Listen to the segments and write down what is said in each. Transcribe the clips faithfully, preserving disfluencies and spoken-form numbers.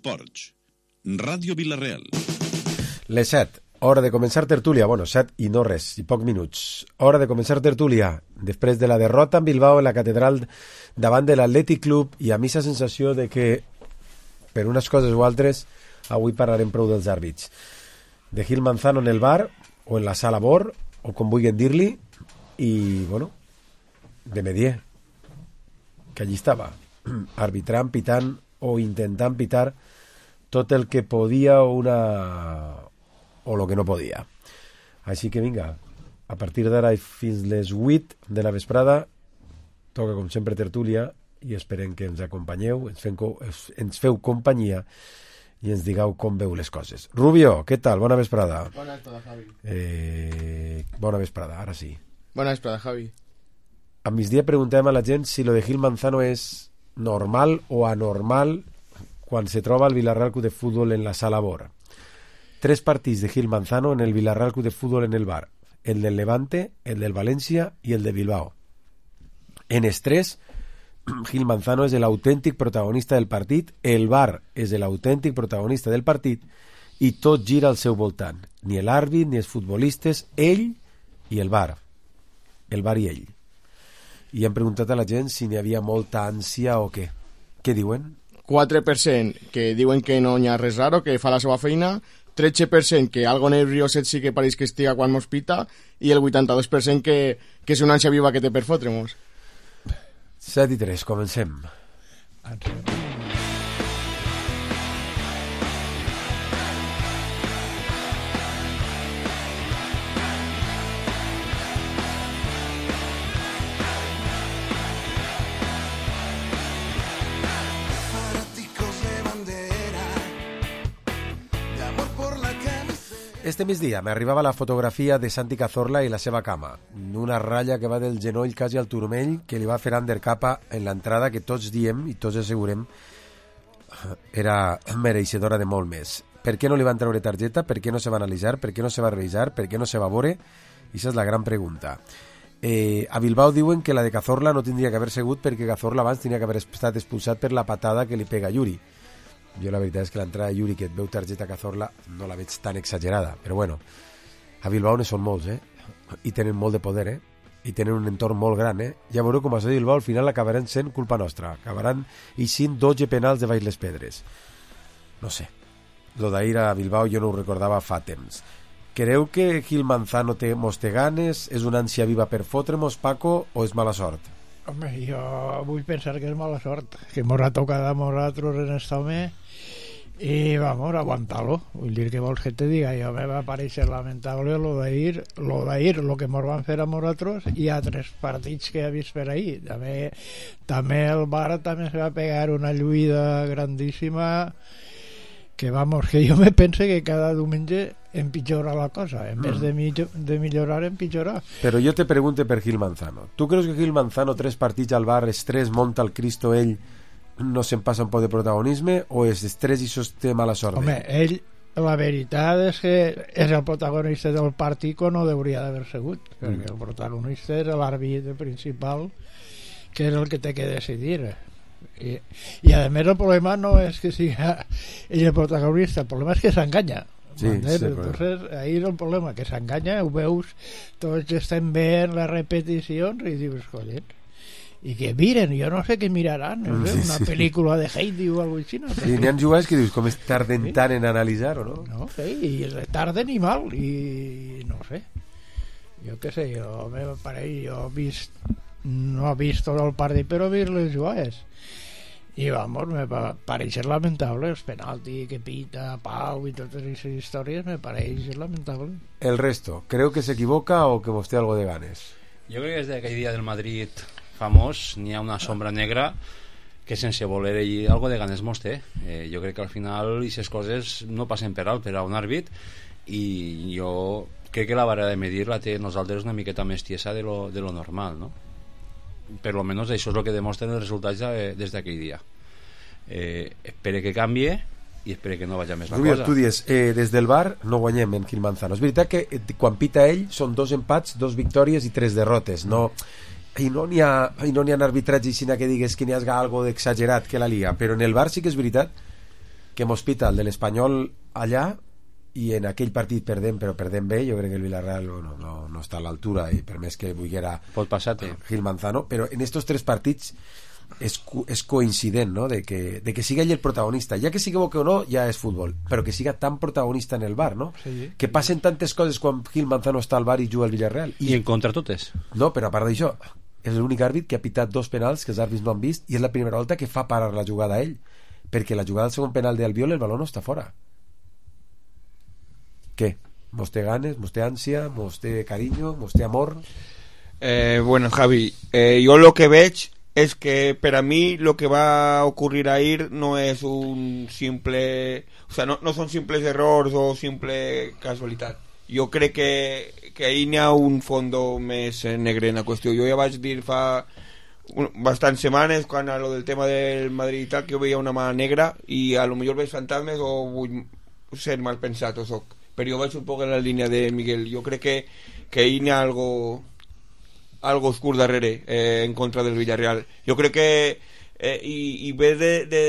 Ports, Ràdio Vila-real. Les set, hora de començar tertúlia. Bueno, set i no res, i pocs minuts. Hora de començar tertúlia. Després de la derrota en Bilbao en la catedral davant de l'Atlètic Club, i a mi la sensació de que, per unes coses o altres, avui parlarem prou dels àrbits. De Gil Manzano en el bar, o en la sala Bor, o com vulguin dir-li, i, bueno, de Medier, que allí estava, arbitrant, pitant, o intentant pitar tot el que podia o una o el que no podia. Així que vinga, a partir d'ara fins les vuit de la vesprada toca com sempre tertúlia, i esperem que ens acompanyeu, ens, fem, ens feu companyia i ens digueu com veu les coses. Rubio, què tal? Bona vesprada. Bona vesprada, Javi. Eh, bona vesprada, ara sí. Bona vesprada, Javi. A migdia preguntem a la gent si lo de Gil Manzano és normal o anormal quan se troba el Villarreal Club de Fútbol en la sala Bor. Tres partits de Gil Manzano en el Villarreal Club de Fútbol en el bar. El del Levante, el del València i el de Bilbao. En els tres, Gil Manzano és l'autèntic protagonista del partit, el bar és l'autèntic protagonista del partit, i tot gira al seu voltant. Ni l'àrbit, ni els futbolistes, ell i el bar. El bar i ell. I hem preguntat a la gent si n'hi havia molta ànsia o què. Què diuen? quatre per cent que diuen que no hi ha res raro, que fa la seva feina, tretze per cent que algo nervioset sí que pareix que estiga quan mos pita, i el vuitanta-dos per cent que, que és una ànsia viva que té per fotre-mos. set i tres, comencem. Este migdia m'arribava la fotografia de Santi Cazorla i la seva cama, una ratlla que va del genoll quasi al turmell que li va fer Ander Capa en l'entrada, que tots diem i tots assegurem era mereixedora de molt més. Per què no li van treure targeta? Per què no se va analitzar? Per què no se va revisar? Per què no se va veure? I això és la gran pregunta. Eh, a Bilbao diuen que la de Cazorla no tindria que haver sigut perquè Cazorla abans tenia que haver estat expulsat per la patada que li pega Yuri. Jo la veritat és que l'entrada de Yuri, que et veu targeta Cazorla, no la veig tan exagerada, però bueno, a Bilbao ne són molts, eh? I tenen molt de poder, eh? I tenen un entorn molt gran, eh? Ja veureu com a de Bilbao al final acabaran sent culpa nostra, acabaran eixint dotze penals de baix les pedres. No sé, lo d'ahir a Bilbao jo no ho recordava fa temps. Creu que Gil Manzano té, mos té ganes, és una ànsia viva per fotre-mos, Paco, o és mala sort? Home, jo vull pensar que és mala sort, que mos ha tocat a nosaltres en esta home, i vamos, aguantar-lo. Vull dir, que vols que te diga, jo me va pareixer lamentable lo d'ahir, lo d'ahir, lo que mos van fer a nosaltres, i altres partits que he vist per ahir. També, també el Bar també se va pegar una lluïda grandíssima, que vamos, que jo me pense que cada diumenge empitjora la cosa, en vez de, millor, de millorar, empitjorar. Però jo te pregunte per Gil Manzano. Tu creus que Gil Manzano, tres partits al bar, estrès, monta el Cristo, ell no se'n passa un poc de protagonisme, o és estrès i sosté mala sort? Home, ell, la veritat és que és el protagonista del partit que no hauria d'haver sigut, perquè mm. el protagonista és l'àrbit principal, que és el que té que decidir. I, i a més el problema no és que sigui ell el protagonista, el problema és que s'enganya. Sí, sí, entonces ahí és el problema, que s'enganya, ho veus, tots estem veient les repeticions i dius, collons, i que miren, jo no sé què miraran, no sé, sí, una sí. pel·lícula de Heidi o alguna cosa així, no? Sí, n'hi ha jugats que dius com es tarden sí. tant en analitzar, o no? No, sí, i retarden i mal, i no sé, jo què sé, jo me pareix, jo he vist, no he vist tot el partit, però he vist les jugades. I vamos, me va pareixer lamentable els penalti que pita Pau i totes aquestes històries, me pareix lamentable. El resto, creu que s'equivoca o que vos té algo de ganes? Jo crec que des d'aquell dia del Madrid famós n'hi ha una sombra negra que sense voler ell algo de ganes mos té. Eh, jo crec que al final aquestes coses no passen per alt per a un àrbit, i jo crec que la vara de medir la té nosaltres una miqueta més tiesa de lo, de lo normal, no? Per lo menos això és el que demostren els resultats de, des d'aquell dia. Eh, espere que canvie i espere que no vagi més la Rubio, cosa. Tu dius, eh, des del bar no guanyem en Gil Manzano. És veritat que eh, quan pita ell són dos empats, dos victòries i tres derrotes. No, i no n'hi ha, no n'hi ha arbitratge sinó que digues que n'hi ha algo d'exagerat que la Liga, però en el bar sí que és veritat que mos pita el de l'Espanyol allà, i en aquell partit perdem, però perdem bé. Jo crec que el Villarreal bueno, no, no està a l'altura, i per més que volguera pot passar-te Gil Manzano, però en estos tres partits és, és coincident, no? de, que, de que siga ell el protagonista, ja que s'equivoque o no ja és futbol, però que siga tan protagonista en el bar, no? Sí. Que passen tantes coses quan Gil Manzano està al bar i juga al Villarreal, i, i en contra totes. no, però a part d'això és l'únic àrbit que ha pitat dos penals que els àrbits no han vist, i és la primera volta que fa parar la jugada a ell, perquè la jugada del segon penal d'Albiol el baló no està fora. Què? Mos té ganes, mos té ànsia, mos té carinyo, mos té amor? Eh, bueno, Javi, eh, yo lo que veig es que para mí lo que va a ocurrir ahí no es un simple, o sea, no, no son simples errors o simple casualitat. Jo crec que, que ahí n'hi ha un fondo més negre en la qüestió. Jo ja vaig dir fa un, bastants setmanes, quan a lo del tema del Madrid i tal, que jo veia una mà negra i a lo millor veig fantasmes o vull ser mal pensat o soc, però jo vaig un poc en la línia de Miguel. Jo crec que, que ahí n'hi ha algo algo oscur darrere eh, en contra del Villarreal. Jo crec que eh, i, i ve de, de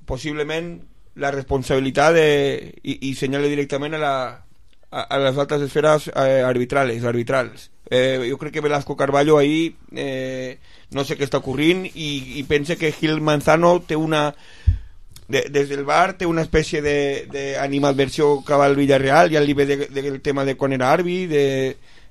possiblement la responsabilitat de, i, i senyala directament a la a, a les altres esferes eh, arbitrales, arbitrals. Eh, jo crec que Velasco Carballo ahí eh, no sé què està ocorrint i, i pense que Gil Manzano té una de, des del bar té una espècie d'animadversió cap al Villarreal, ja li ve del de, de, tema de quan era àrbit de,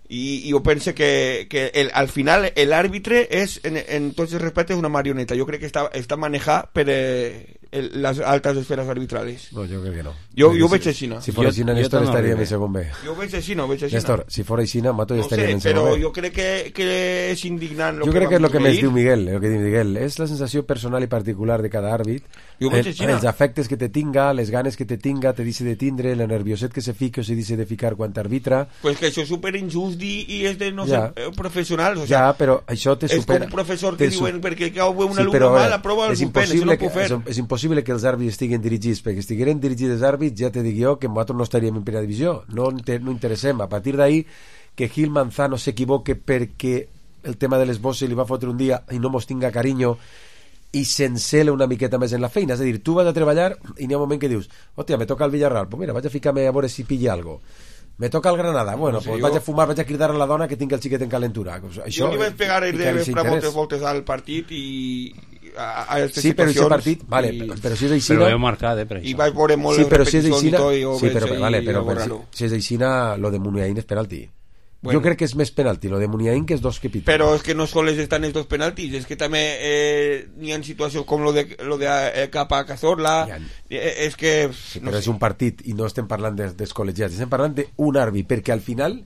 i, i jo pense que, que el, al final l'àrbitre és en, en tots els respectes una marioneta. Jo crec que està, està manejat per eh, el, les altes esferes arbitrales. No, jo crec que no. Jo, Perquè jo si, veig així, no? Si fos així, Néstor no estaria arribe. en segon B. Jo veig així, no? Veig així, Néstor, no? si fos així, Mato ja No estaria sé, en segon però B. jo crec que, que és indignant lo Jo que crec que és el que vam més veure. diu Miguel, el que diu Miguel. És la sensació personal i particular de cada àrbit. Jo veig El, així, no? els afectes que te tinga, les ganes que te tinga, te dice de tindre, el nervioset que se fica o se dice de ficar quan t'arbitra. Pues que això és super injust i, i és de no Ja. ser eh, professionals. O Ja, sea, però això te és supera. com un professor que te su- diuen perquè cau un Sí, alumne però, a mal, veure, aprova el és suspèn, això no impossible ho puc que, fer. és, és impossible que els àrbits estiguin dirigits, perquè si estigueren dirigits els àrbits ja te dic jo que nosaltres no estaríem en primera divisió, no, inter, no interessem. A partir d'ahí que Gil Manzano s'equivoque perquè el tema de les bosses li va fotre un dia i no mos tinga carinyo i s'encela una miqueta més en la feina, és a dir, tu vas a treballar i n'hi ha un moment que dius, hòstia, me toca el Villarreal, pues mira, vaig a ficar-me a veure si pilla algo. Me toca el Granada, bueno, No sé, pues jo- vaig a fumar, vaig a cridar a la dona que tinc el xiquet en calentura. Això, Jo li vaig pegar el i de que li per moltes s'interès. voltes al partit i a, a aquestes Sí, però situacions aquest partit, vale, i, però si és Però aixina... ho heu marcat, eh, per i això. vaig veure molt Sí, les però si és repeticions aixina... i tot i ho Sí, veig però, ahí vale, però, algo però si, raro. si és aixina, lo de Muniain és penalti. Bueno. Jo crec que és més penalti, lo de Muniain, que és dos que piten. Però és que no sols estan els dos penaltis, és que també eh, n'hi ha situacions com lo de, lo de eh, Capa Cazorla, Hi ha- eh, és que... Sí, no però sé. és un partit i no estem parlant de, dels col·legiats, estem parlant d'un àrbit, perquè al final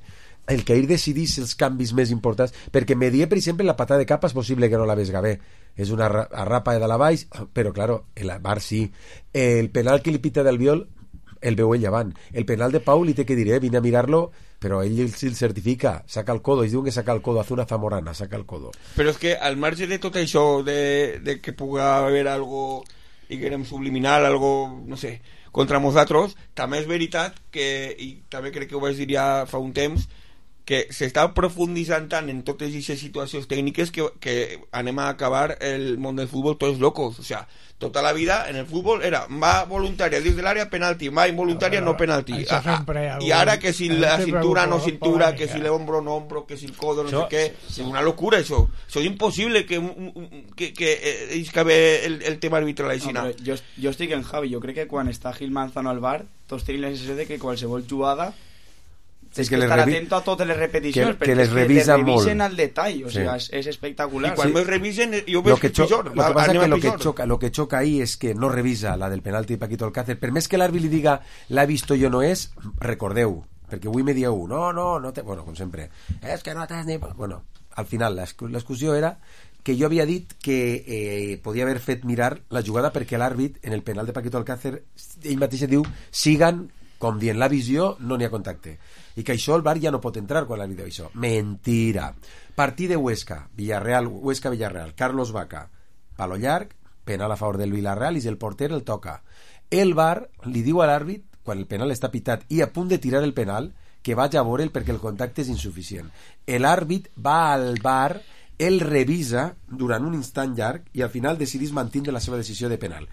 el que ell decidís els canvis més importants, perquè Medier, per exemple, la patada de capa és possible que no la vesga bé, és una ra- arrapa de la baix, però claro, el bar sí. El penal que li pita del Viol el veu ell avant. El penal de Pau li té que dir, eh, vine a mirar-lo, però ell el, el certifica, saca el codo, ells diuen que saca el codo, hace una zamorana, saca el codo. Però és que al marge de tot això, de, de que puga haver algo, diguem, subliminal, algo, no sé, contra nosaltres, també és veritat que, i també crec que ho vaig dir ja fa un temps, que s'està profunditzant tant en totes aquestes situacions tècniques que, que anem a acabar el món del futbol tots locos. O sea, tota la vida en el futbol era va voluntària dins de l'àrea, penalti, va involuntària, no penalti. Això Ah, sempre hi ha I ara que si la sempre cintura no algú cintura, polèmica. que si l'hombro no hombro, que si el codo no Això- sé què, és una locura això. Això és impossible que, un- un- que, que eh, és que ve el, el tema arbitral així. No, però jo, jo estic en Javi, jo crec que quan està Gil Manzano al bar tots tenim la sensació de que qualsevol jugada Sí, és que que, les estar revi- atento a totes les repeticions que- que perquè les és revisa les revisen molt. al detall, o Sí. sigui, és, és espectacular. I quan Sí. me revisen, eh, jo Lo veig que, que cho pitjor. lo que pasa es anem que a lo que pitjor. choca lo que choca ahí es que no revisa la del penalti de Paquito Alcácer. Per més que l'àrbit li diga l'ha visto jo no és, recordeu, perquè avui me dieu no, no, no te... bueno, com sempre és que no t'has ni... bueno, al final l'exclusió era que jo havia dit que eh, podia haver fet mirar la jugada perquè l'àrbit en el penal de Paquito Alcácer ell mateix diu siguen com dient la visió, no n'hi ha contacte i que això el V A R ja no pot entrar quan l'àrbit diu això. Mentira. Partit de Huesca, Villarreal, Huesca Villarreal, Carlos Vaca, palo llarg, penal a favor del Villarreal i el porter el toca. El V A R li diu a l'àrbit quan el penal està pitat i a punt de tirar el penal que vaig a veure'l perquè el contacte és insuficient. L'àrbit va al V A R, el revisa durant un instant llarg i al final decidís mantindre la seva decisió de penal.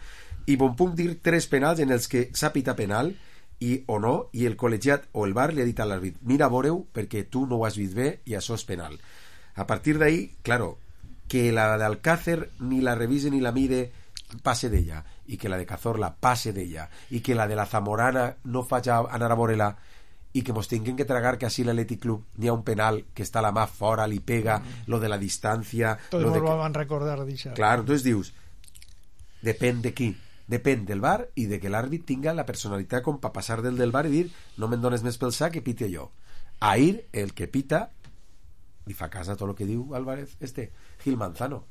i bon puc dir tres penals en els que s'ha pitat penal i, o no, i el col·legiat o el V A R li ha dit a l'àrbit, mira, veureu, perquè tu no ho has vist bé i això és penal. A partir d'ahí, claro, que la d'Alcácer ni la revise ni la mire passe d'ella, i que la de Cazorla passe d'ella, i que la de la Zamorana no faci anar a veure-la, i que mos tinguem que tragar que així l'Atlètic Club n'hi ha un penal que està la mà fora, li pega, mm. lo de la distància... Tots lo de ens que... ho van recordar d'això. Clar, entonces dius, depèn de qui, depèn del V A R i de que l'àrbit tinga la personalitat com per passar del del V A R i dir, no me'n dones més pel sac que pite jo. Ahir, el que pita, li fa cas a tot el que diu Álvarez, este, Gil Manzano.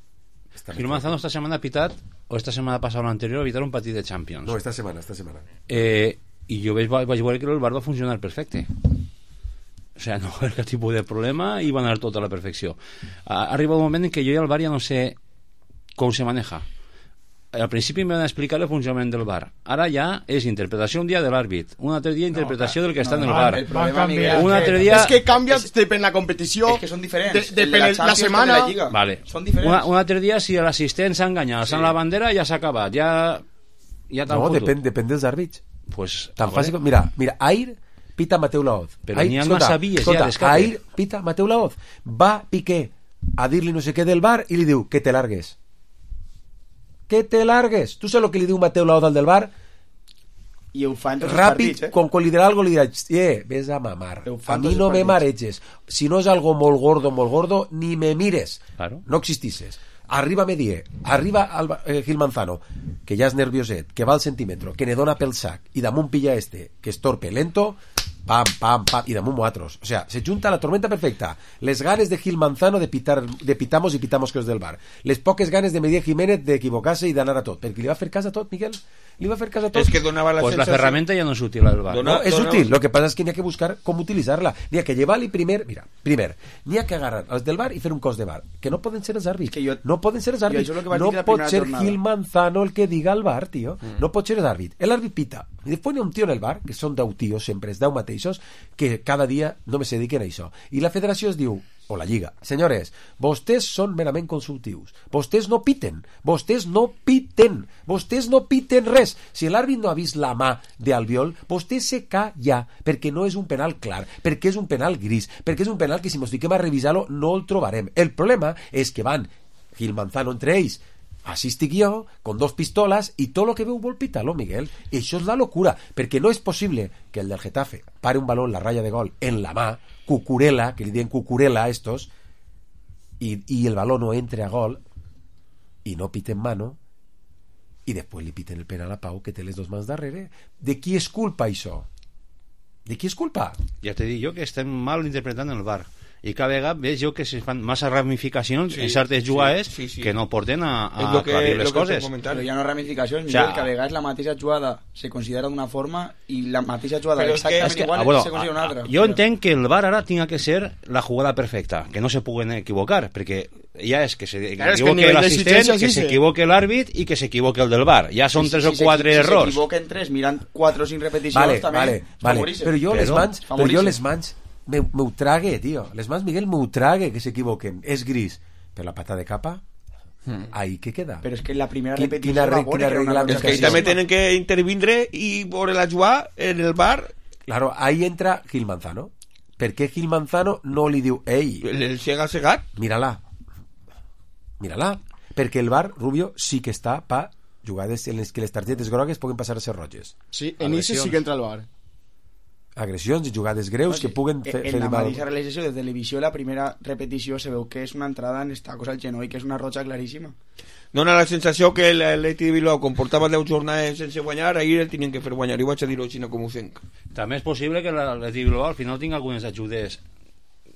Esta Gil Manzano esta setmana ha pitat, o esta setmana passada o l'anterior, ha pitat un partit de Champions. No, esta setmana, esta setmana. Eh... i jo vaig, vaig veure que el V A R va funcionar perfecte, o sea, no va haver cap tipus de problema i va anar tot a la perfecció. Arriba un moment en què jo i el V A R ja no sé com se maneja. Al principi em van explicar el funcionament del V A R, ara ja és interpretació un dia de l'àrbit, un altre dia interpretació no, del que no, està en el V A R, el problema, Miguel, un altre dia... és que canvia depèn la competició, és que són diferents, de, depèn la, la setmana la Lliga. Vale. Són diferents. Una, un altre dia si l'assistent s'ha enganyat, sí. la bandera ja s'ha acabat, ja, ja no, depèn, depèn dels àrbits. Pues, tan fàcil com... Mira, mira, Air pita Mateu Laoz. Però n'hi ha massa sabies ja d'escape. Air pita Mateu Laoz. Va Piqué a dir-li no sé què del V A R i li diu que te largues. Que te largues. Tu saps el que li diu Mateu Laoz al del V A R? I ho fa en tots Ràpid, els partits, eh? quan, quan li dirà algo li dirà, eh, ves a mamar. A mi no me mareges. Si no és algo molt gordo, molt gordo, ni me mires. Claro. No existisses. Arriba Medier, arriba Alba, eh, Gil Manzano, que ja és nervioset, que va al centímetro, que ne dona pel sac, i damunt pilla este, que és torpe, lento, pam, pam, pam, i damunt altres. O sea, se junta la tormenta perfecta. Les ganes de Gil Manzano de pitar, de pitamos i pitamos que és del V A R. Les poques ganes de Medier Jiménez d'equivocar-se i d'anar a tot. Perquè li va fer cas a tot, Miguel. Li va fer cas a tot. És que donava la pues sensació... la ferramenta ja no és útil al V A R. No, és útil. Lo que pasa es que n'hi ha que buscar com utilitzar-la. N'hi ha que llevar-li primer... Mira, primer, n'hi ha que agarrar els del V A R i fer un cos de V A R. Que no poden ser els àrbits. Que jo, no poden ser els àrbits. No pot ser jornada. Gil Manzano el que diga al V A R, tio. Mm. No pot ser l'àrbit. L'àrbit pita. I després n'hi ha un tio en el V A R, que són deu tios, sempre és deu mateixos, que cada dia només se dediquen a això. I la federació es diu, o la lliga, senyores, vostès són merament consultius, vostès no piten, vostès no piten, vostès no piten res. Si l'àrbit no ha vist la mà d'Albiol, vostè se calla, perquè no és un penal clar, perquè és un penal gris, perquè és un penal que si mos fiquem a revisar-lo no el trobarem. El problema és que van Gil Manzano entre ells, així estic jo, con dos pistoles, i tot el que veu vol pitar-lo, Miguel. I això és la locura, perquè no és possible que el del Getafe pare un balón, la raya de gol, en la mà, cucurela, que li diuen cucurela a estos, i, i el balón no entre a gol, i no piten mano, i després li piten el penal a Pau, que té les dos mans darrere. De qui és culpa, això? De qui és culpa? Ja t'he dit jo que estem mal interpretant el V A R. I cada vegada veig jo que se fan massa ramificacions sí, en certes jugades sí, sí, sí. que no porten a, a aclarir les coses. Però hi ha no ramificacions, Miguel, o sea, que a vegades la mateixa jugada se considera d'una forma i la mateixa jugada exactament es que, igual ah, bueno, se considera una altra. Jo entenc que el V A R ara tinga que ser la jugada perfecta, que no se puguen equivocar, perquè ja és que s'equivoque l'assistent, que s'equivoque l'àrbit i que s'equivoque el del V A R. Ja són si, tres si, o quatre si, errors. Si s'equivoquen tres mirant quatre o cinc repeticions, vale, també vale, vale. Però jo les mans, però jo les mans me, me ho trague, tio. Les mans, Miguel, me ho trague que s'equivoquen. És gris. Per la pata de capa, hmm. ahí que queda. Però és que la primera repetició quina, va quina regla és que també tenen que intervindre i veure la jugada en el V A R. Claro, ahí entra Gil Manzano. Per què Gil Manzano no li diu ei, el cega cegat? Mírala. Mírala. Perquè el V A R, Rubio, sí que està pa jugades en les que les targetes grogues poden passar a ser roges. Sí, en ese sí que entra el V A R. Agressions i jugades greus no, que puguen fer, en fer la mal. mateixa realització de televisió, la primera repetició se veu que és una entrada en esta cosa al genoll, que és una roja claríssima. Dona la sensació que l'Atlètic de Bilbao comportava deu jornades sense guanyar, ahir el tenien que fer guanyar, i vaig a dir-ho així com ho sent. També és possible que l'Atlètic de Bilbao al final tingui algunes ajudes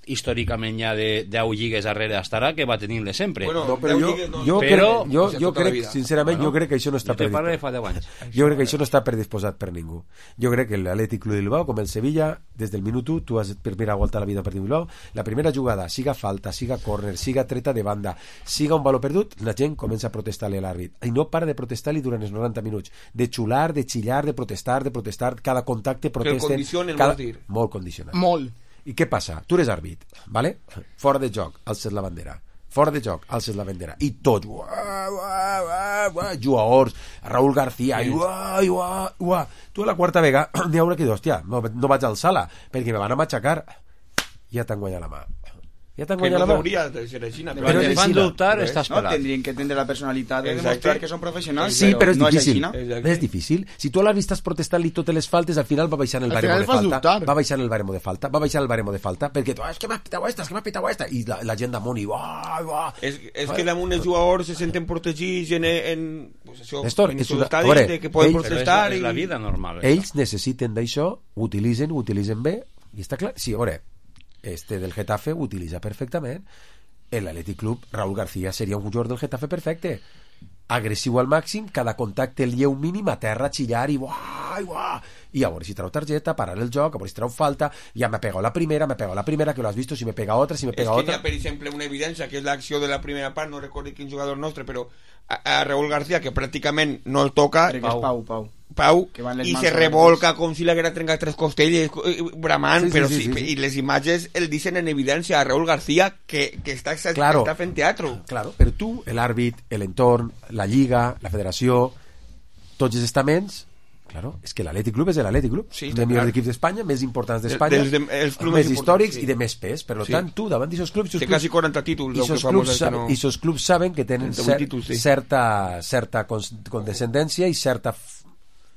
històricament ja de deu lligues darrere estarà que va tenir-les sempre. Bueno, no, però jo, no. jo, però, crec, jo, jo crec, sincerament, bueno, jo crec que això no està predisposat. Jo crec que això no està predisposat per ningú. Jo crec que l'Atlètic Club de Bilbao, com el Sevilla, des del minut u, tu has per primera volta a la vida per Bilbao, la primera jugada, siga falta, siga córner, siga treta de banda, siga un valor perdut, la gent comença a protestar-li a l'àrbit. I no para de protestar-li durant els noranta minuts. De xular, de xillar, de protestar, de protestar, cada contacte protesten. Que el condicionen, cada... dir. Molt condicionat. Molt. I què passa? Tu eres àrbit, ¿vale? Fora de joc, alces la bandera. fora de joc, alces la bandera i tots, uah, uah, uah, uah, jugadors, Raúl García i uah, uah, uah. Tu a la quarta vega n'hi haurà que dir, hòstia, no, no vaig alçar-la perquè me van a matxacar, ja t'han guanyat la mà, ja t'han guanyat no la mà, hauria de ser així, però, però però fan dubtar, estàs no, pelat. tendrien que tindre la personalitat de Exacte. demostrar que són professionals, sí, però és no difícil, és així, no? és difícil. Si tu a l'àrbit estàs protestant-li totes les faltes, al final va baixant el Al baremo final de fas falta, dubtar. va baixant el baremo de falta, va baixant el baremo de falta, perquè tu, ah, és que m'has pitat esta, és que m'has pitat esta, i la, la gent damunt, i uah, uah. És, és que damunt els jugadors se senten protegits en, en, pues això, Néstor, en és sus una- estadis, veure, de que poden ells- Però és, protestar és la i... vida normal. Ells necessiten d'això, ho utilitzen, ho utilitzen bé, i està clar. Sí, a veure, este del Getafe ho utilitza perfectament. El Athletic Club, Raúl García seria un jugador del Getafe perfecte. Agressiu al màxim, cada contacte el lleu mínim, a terra, xillar i uah, uah. I a veure si trau targeta, parar el joc, a veure si trau falta, ja m'ha pegat la primera, m'ha pegat la primera, que lo has visto, si me pega otra, si me És pega que hi otra. ha, per exemple, una evidència, que és l'acció de la primera part, no recordo quin jugador nostre, però a, a Raúl García, que pràcticament no el toca, crec que és Pau, Pau. Pau, Que van les i mans se sobre revolca com si l'haguera trencat tres costelles, eh, bramant, Sí, sí, però sí, sí, sí, sí. i les imatges el dicen en evidència a Raúl García que, que està, Claro. està fent teatro. Claro, però tu, l'àrbit, l'entorn, la lliga, la federació, tots els estaments, claro, és que l'Atlètic Club és l'Atlètic Club, Sí, un està dels millors clar. equips d'Espanya, més importants Del- d'Espanya, dels de- els clubs més més històrics importants, sí. i de més pes. Per Sí. tant, tu, davant d'aquests clubs, Té quasi quaranta títols, i el que esos fa clubs, molts anys que saben, no- i esos clubs saben que tenen trenta-vuit cer títols, sí. certa, certa cons- condescendència i certa f-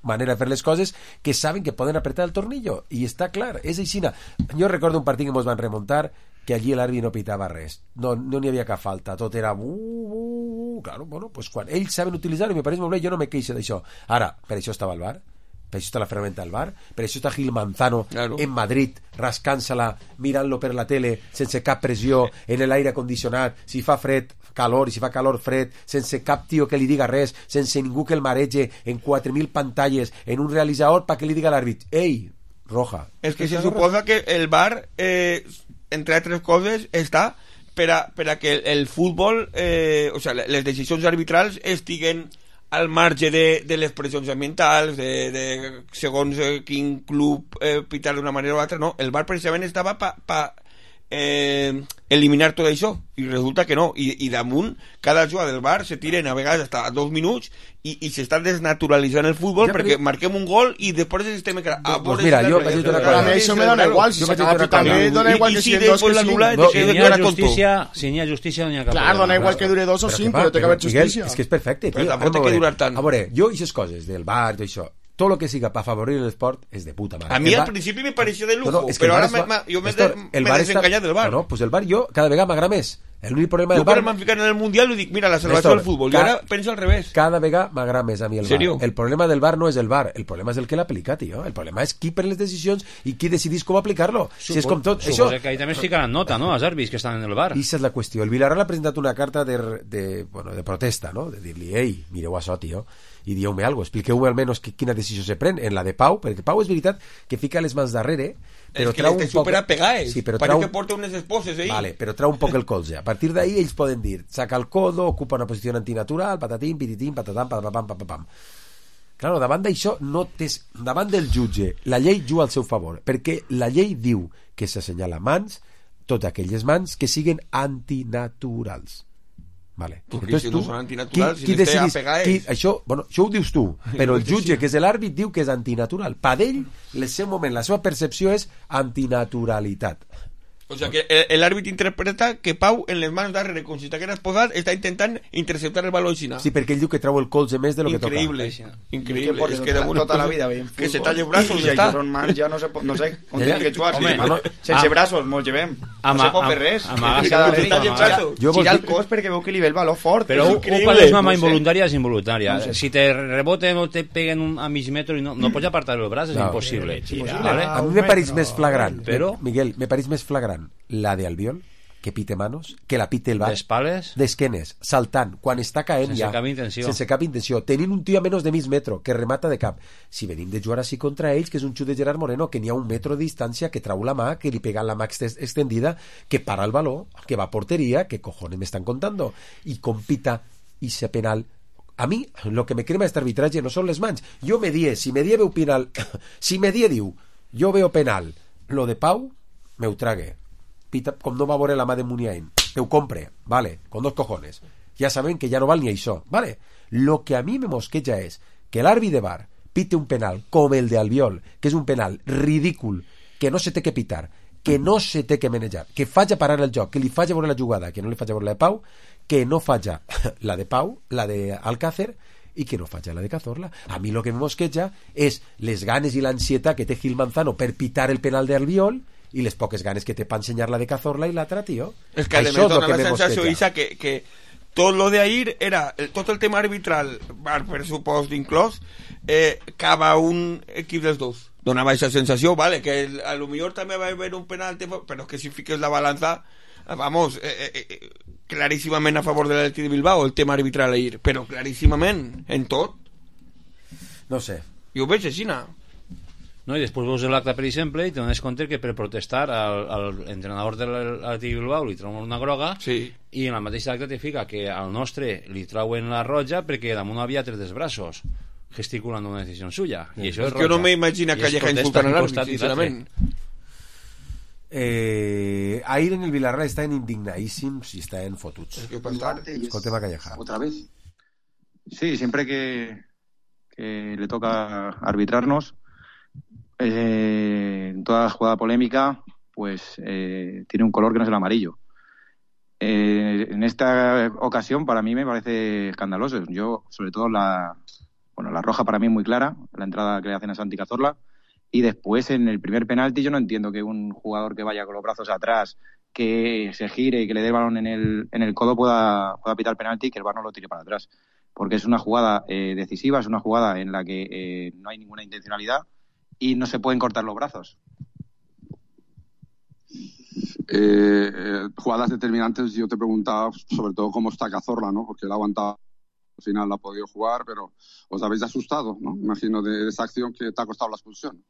manera de fer les coses, que saben que poden apretar el tornillo, i està clar, és aixina. Jo recordo un partit que ens van remuntar que allí l'àrbit no pitava res, no no n'hi havia cap falta, tot era uh, uh, uh. Claro, bueno, pues quan ells saben utilitzar-ho, i me pareix molt bé, jo no me queixo d'això. Ara, per això estava el bar, per això està la ferramenta del bar, per això està Gil Manzano Claro. en Madrid, rascant-se-la, mirant-lo per la tele, sense cap pressió, en l'aire condicionat, si fa fred, calor, i si fa calor, fred, sense cap tio que li diga res, sense ningú que el marege, en quatre mil pantalles, en un realitzador pa que li diga a l'àrbit, ei, roja. És que se suposa que el bar, eh, entre altres coses, està per a, per a que el, el futbol, eh, o sea, les decisions arbitrals estiguen al marge de, de les pressions ambientals, de, de segons eh, quin club eh, pitar d'una manera o altra, no, el bar precisament estava pa, pa eh, eliminar tot això, i resulta que no, i, i damunt cada jugada del bar se tiren a vegades hasta dos minuts i, i s'està desnaturalitzant el futbol Ja, perquè però- marquem un gol i després estem a Pues mira, jo vaig dir una cosa. A mi això me dona igual, si Jo vaig s'acaba dir una pitant cosa. bé, dona igual I, que i si siguin dos després que l'anul·la cinc. No, Si de n'hi que ha era tonto. justícia, si n'hi ha justícia, no n'hi ha cap Clar, problema. dona igual que dure dos o Però cinc, que va, però té que haver Miguel, justícia. és que és perfecte, Però tio. tampoc té Anem a que veure. durar tant. A veure, jo i aquestes coses del bar, tot això, tot el que siga per afavorir l'esport és de puta mare. A mi El al bar- principi me pareció de lujo, No, no, és que però el bar ara es me- va- me- jo m'he Néstor, de- el m'he bar està- desencallat del bar. No, no, pues el bar jo cada vegada m'agrada més. L'únic problema del Jo quan bar... m'han ficat en el Mundial li dic, mira, la salvació Néstor, del futbol, i ca- ara penso al revés. Cada vegada m'agrada més a mi el Serio? bar. El problema del bar no és el bar, el problema és el que l'aplica, tio. El problema és qui pren les decisions i qui decidís com aplicar-lo. Si és com tot, això... Suposo que ahí també es ficaran nota, no?, els àrbits que estan en el bar. I aquesta és la qüestió. El Villarreal ha presentat una carta de, de, bueno, de protesta, no? De dir-li, ei, mireu això, tio, i dieu-me alguna cosa, expliqueu-me almenys que, quina decisió se pren en la de Pau, perquè Pau és veritat que fica les mans darrere, però és que trau les un té poc... superapegades. Sí, però Parece trau... que porta unes esposes, eh? Vale, però trau un poc el colze. A partir d'ahí ells poden dir, saca el codo, ocupa una posició antinatural, patatim, pititim, patatam, patapam, papapam. Claro, davant d'això, no tens... davant del jutge, la llei juga al seu favor, perquè la llei diu que s'assenyala mans, totes aquelles mans que siguen antinaturals. Vale. Perquè si no tu, són antinaturals, si les té decidís- apegades. qui, això, bueno, això ho dius tu, però el jutge, que és l'àrbit, diu que és antinatural. Per ell, el seu moment, la seva percepció és antinaturalitat. O sea que el- l'àrbit interpreta que Pau en les mans darrere, com si t'hagués posat, està intentant interceptar el baló així. Sí, perquè ell diu que trau el colze més de lo que toca. Increïble, increïble. Porque És que tota, damunt tota la vida veiem que se futbol. talle els braços I i està. això són mans, ja no sé, no sé on Ja, ja. tenim que jugar. Home, Sí, no, sense am- braços mos llevem. No ama- se pot fer am- res. amaga- Mira, amaga- David, talle gira- braços. Jo gira vol el dir- cos perquè veu que li ve el baló fort. Però És un, increïble. un quan és mama No sé. involuntària és involuntària. No sé. Si te reboten o te peguen un, a mig metro i no, no pots apartar el braç, és No. impossible. Impossible. Vale? A mi un me pareix metro, més flagrant, però- Miguel, me pareix més flagrant la de Albiol, que pite manos, que la pite el bar, D'espales, d'esquenes, saltant, quan està caent Sense ja, cap intenció. sense cap intenció, tenint un tio a menys de mig metro, que remata de cap. Si venim de jugar així contra ells, que és un xut de Gerard Moreno, que n'hi ha un metro de distància, que trau la mà, que li pega la mà ex- extendida, que para el baló, que va a porteria, que cojones me están contando, i compita i se penal. A mi, lo que me crema este arbitratge no són les mans. Jo me die, si me die veu penal, si me die diu, jo veo penal, lo de Pau, me ho trague. Pita, com no va veure la mà de Muniain. te ho compre, vale, con dos cojones. Ja sabem que ja no val ni això, vale. Lo que a mi me mosqueja és que l'àrbit de bar pite un penal com el de Albiol, que és un penal ridícul, que no se té que pitar, que no se té que manejar, que faig a parar el joc, que li faig a veure la jugada, que no li faig a veure la de Pau, que no faig la de Pau, la de Alcácer, i que no faig la de Cazorla. A mi lo que me mosqueja és les ganes i l'ansietat que té Gil Manzano per pitar el penal de Albiol i les poques ganes que té per ensenyar la de Cazorla i l'altra, tio. És que això és lo que me mosqueja. Isa, que, que tot lo de ahir era, el, tot el tema arbitral, per pressupost inclòs, eh, cava un equip dels dos. Donava aquesta sensació, vale, que el, a lo millor també va haver un penal, però que si fiques la balança, vamos, eh, eh, claríssimament a favor de l'Atlètic de Bilbao el tema arbitral ahir, però claríssimament en tot. No sé. Jo ho veig així, no? No, i després veus l'acte, per exemple, i te dones compte que per protestar al, al entrenador de l'Atlètic de Bilbao li trauen una groga, sí. I en la mateixa acte te fica que al nostre li trauen la roja perquè damunt havia tres dels braços gesticulant una decisió suya, i això és roja. Jo no m'imagino que Calleja insultant a l'àrbit, sincerament. Eh, ahir en el Villarreal estaven indignadísimos y estaban fotuts. Escoltem a Calleja. Otra vez. Sí, siempre que, que le toca arbitrarnos, eh, en toda jugada polémica, pues eh, tiene un color que no es el amarillo. Eh, en esta ocasión, para mí me parece escandaloso. Yo, sobre todo, la, bueno, la roja para mí es muy clara, la entrada que le hacen a Santi Cazorla. Y después, en el primer penalti, yo no entiendo que un jugador que vaya con los brazos atrás, que se gire y que le dé el balón en el, en el codo pueda, pueda pitar el penalti y que el V A R no lo tire para atrás. Porque es una jugada eh, decisiva, es una jugada en la que eh, no hay ninguna intencionalidad y no se pueden cortar los brazos. Eh, eh, jugadas determinantes, yo te preguntaba sobre todo cómo está Cazorla, ¿no? Porque él ha aguantado, al final la ha podido jugar, pero os habéis asustado, ¿no? Imagino de, de esa acción que te ha costado la expulsión.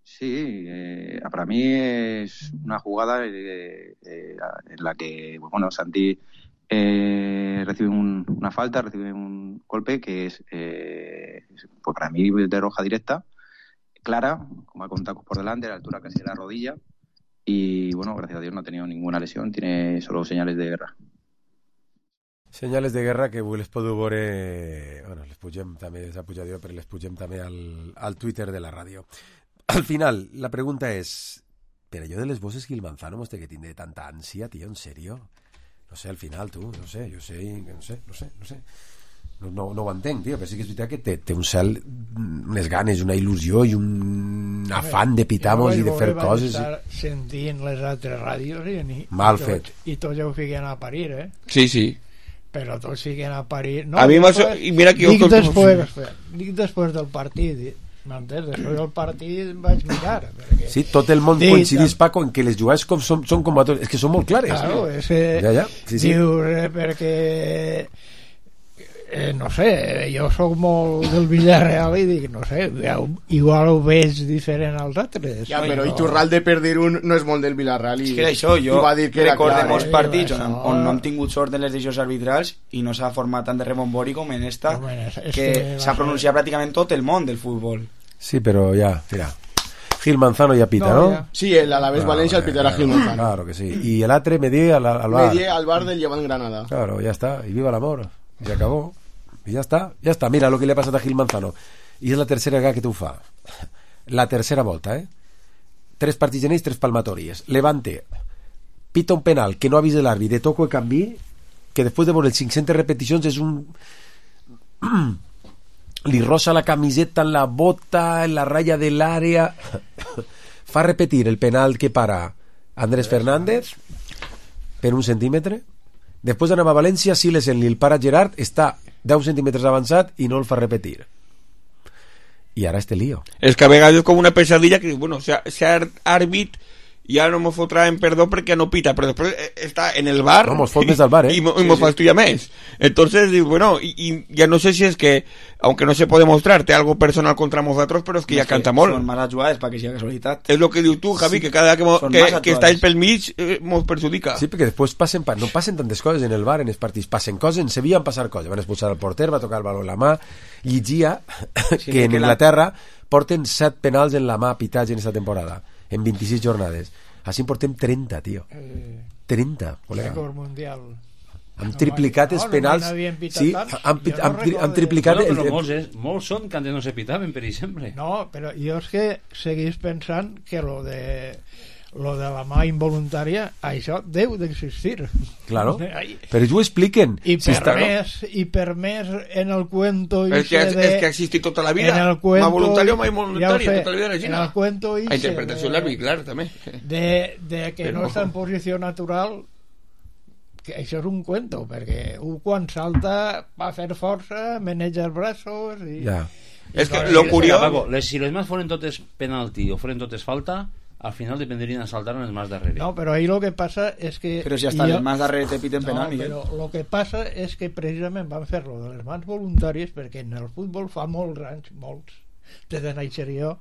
Sí, eh, para mí es una jugada eh, eh, en la que, bueno, Santi eh, recibe un, una falta, recibe un golpe que es, eh, pues para mí, de roja directa, clara, como con tacos por delante, a la altura casi de la rodilla, y bueno, gracias a Dios no ha tenido ninguna lesión, tiene solo señales de guerra. Senyales de guerra que avui les podeu veure, bueno, les pugem també, s'ha pujat jo, però les pugem també al, al Twitter de la ràdio. Al final, la pregunta és, per allò de les bosses Gil Manzano mos té que tindre tanta ànsia, tio, en sèrio? No sé, al final, tu, no sé, jo sé, no sé, no sé, no sé. No, no, no ho entenc, tio, però sí que és veritat que té, té un cel, unes ganes, una il·lusió i un afant de pitamos i de fer coses. Jo vaig estar sentint les altres ràdios i, i, Mal i fet. Tots, i tots ja ho fiquen a parir, eh? Sí, sí. Però tots fiquen a parir. No, a mi m'ha... I mira que jo... Dic després, dic després del partit, m'entens? Després del partit vaig mirar. Perquè... Sí, tot el món sí, coincidís, Paco, en que les jugades com són, són com a tots. És que són molt clares. Claro, és que ja, ja. Sí, sí. Dius, eh, perquè... Eh, no sé, jo sóc molt del Villarreal i dic, no sé, igual ho veig diferent als altres. Ja, però no. Iturralde per dir un no és molt del Villarreal i, és que això, jo i va dir que recordem clar, molts eh? partits on, on no hem tingut sort en les decisions arbitrals i no s'ha format tant de rebombori com en esta, no, és, és que, que s'ha pronunciat ser... pràcticament tot el món del futbol. Sí, però ja, mira, Gil Manzano ya pita, ¿no? ¿no? Sí, el Alavés claro, Valencia, el pitará Gil Manzano. Claro que sí. Y el Atre Medie al, al bar. Medie al bar del Llevant Granada. Claro, ya está. Y viva el amor. Y se acabó. I ja està, ja està, mira el que li ha passat a Gil Manzano i és la tercera vegada que t'ho fa, la tercera volta, eh? Tres partits en ells, tres palmatòries. Levante pita un penal que no ha vist l'àrbit de toco i canvi, que després de veure les cinc-centes repeticions és un li rosa la camiseta en la bota, en la ratlla de l'àrea fa repetir el penal que para Andrés Fernández per un centímetre. Després d'anar a València, Silesen li el para Gerard, està deu centímetres avançat i no el fa repetir. I ara este lío. És que a vegades és com una pesadilla que, bueno, cert àrbit ja no m'ho fotrà en perdó perquè no pita, però després està en el bar no, mos fot més al bar, eh? i, i mos fastidia més. Entonces, bueno, y, y ya no sé si es que, aunque no se puede mostrar, té algo personal contra nosotros, però és que no, ja es canta molt. Són males jugades perquè sigui casualitat. És lo que dius tu, Javi, sí. Que cada que, que, que està ell pel mig eh, mos perjudica. Sí, perquè després passen, no passen tantes coses en el bar, en els partits, passen coses, en Sevilla van passar coses, van expulsar el porter, va tocar el baló en la mà, llegia sí, que en que Inglaterra la... porten set penals en la mà pitats en aquesta temporada, en vint-i-sis jornades. Així en portem trenta, tio. Eh, trenta, col·lega. Rècord mundial. Han triplicat els penals. Sí, han, han, han triplicat... No, però molts, és, molts són que antes no se pitaven, per exemple. No, però jo és que seguís pensant que lo de lo de la mà involuntària, això deu d'existir. Claro, però ells ho expliquen. I per, si està, més, no? I per més en el cuento... És que, és, de, és que ha existit tota la vida. Cuento, mà voluntària o mà involuntària, ja tota la vida de la gent. En el cuento... La interpretació de l'àrbit, clar, també. De, de que però... no està en posició natural, que això és un cuento, perquè un quan salta va fer força, maneja els braços... I, ja. I és que lo curiós... Les, si les mans foren totes penalti o foren totes falta, al final dependrien de saltar en les mans darrere. No, però ahí lo que passa és que... Però si hasta jo... les mans darrere te piten penal, no, però lo que passa és que precisament van fer-lo de les mans voluntàries perquè en el futbol fa molts anys, molts, des de néixer jo,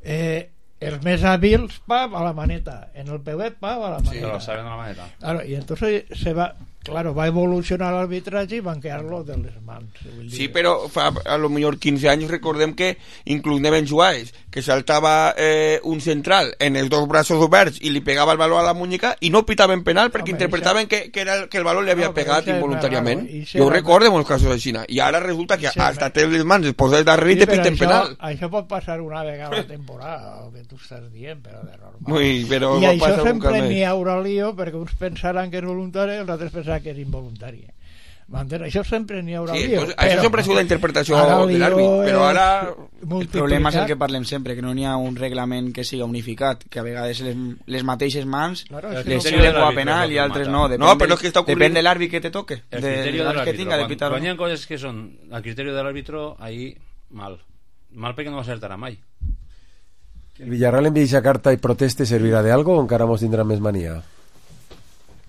eh, els més hàbils, pam, a la maneta. En el peuet, pam, a la maneta. Sí, lo saben a la maneta. Claro, y entonces se va... Claro, va evolucionar l'arbitraje i van quedar-lo de les mans. Sí, però fa a lo millor quinze anys recordem que inclús Neven Juárez, que saltava eh, un central en els dos braços oberts i li pegava el baló a la muñeca i no pitaven penal perquè Home, interpretaven això... que, que, era el, que el baló li havia no, pegat involuntàriament. Jo ho recordo en molts casos així. I ara resulta que hasta té les mans es posa darrere sí, i te piten això, penal. Això pot passar una vegada a la temporada, el que tu estàs dient, però de normal. Ui, però I això sempre n'hi haurà lío perquè uns pensaran que és voluntari i els altres pensaran que és involuntari. M'entens? Això sempre n'hi haurà sí, lío. Doncs, això sempre ha sigut la interpretació de l'àrbit, però ara... El problema és el que parlem sempre, que no n'hi ha un reglament que siga unificat, que a vegades les, les mateixes mans claro, les sirven com a penal i altres no. Depèn, no, però és que està depèn de l'àrbit que te toque. El criteri de l'àrbitro. Que tinga, de pitar, quan, quan hi ha coses que són al criteri de l'àrbitro, ahí mal. Mal perquè no acertarà mai. ¿El Villarreal envía esa carta y proteste servirá de algo o encara mos tindrà més manía?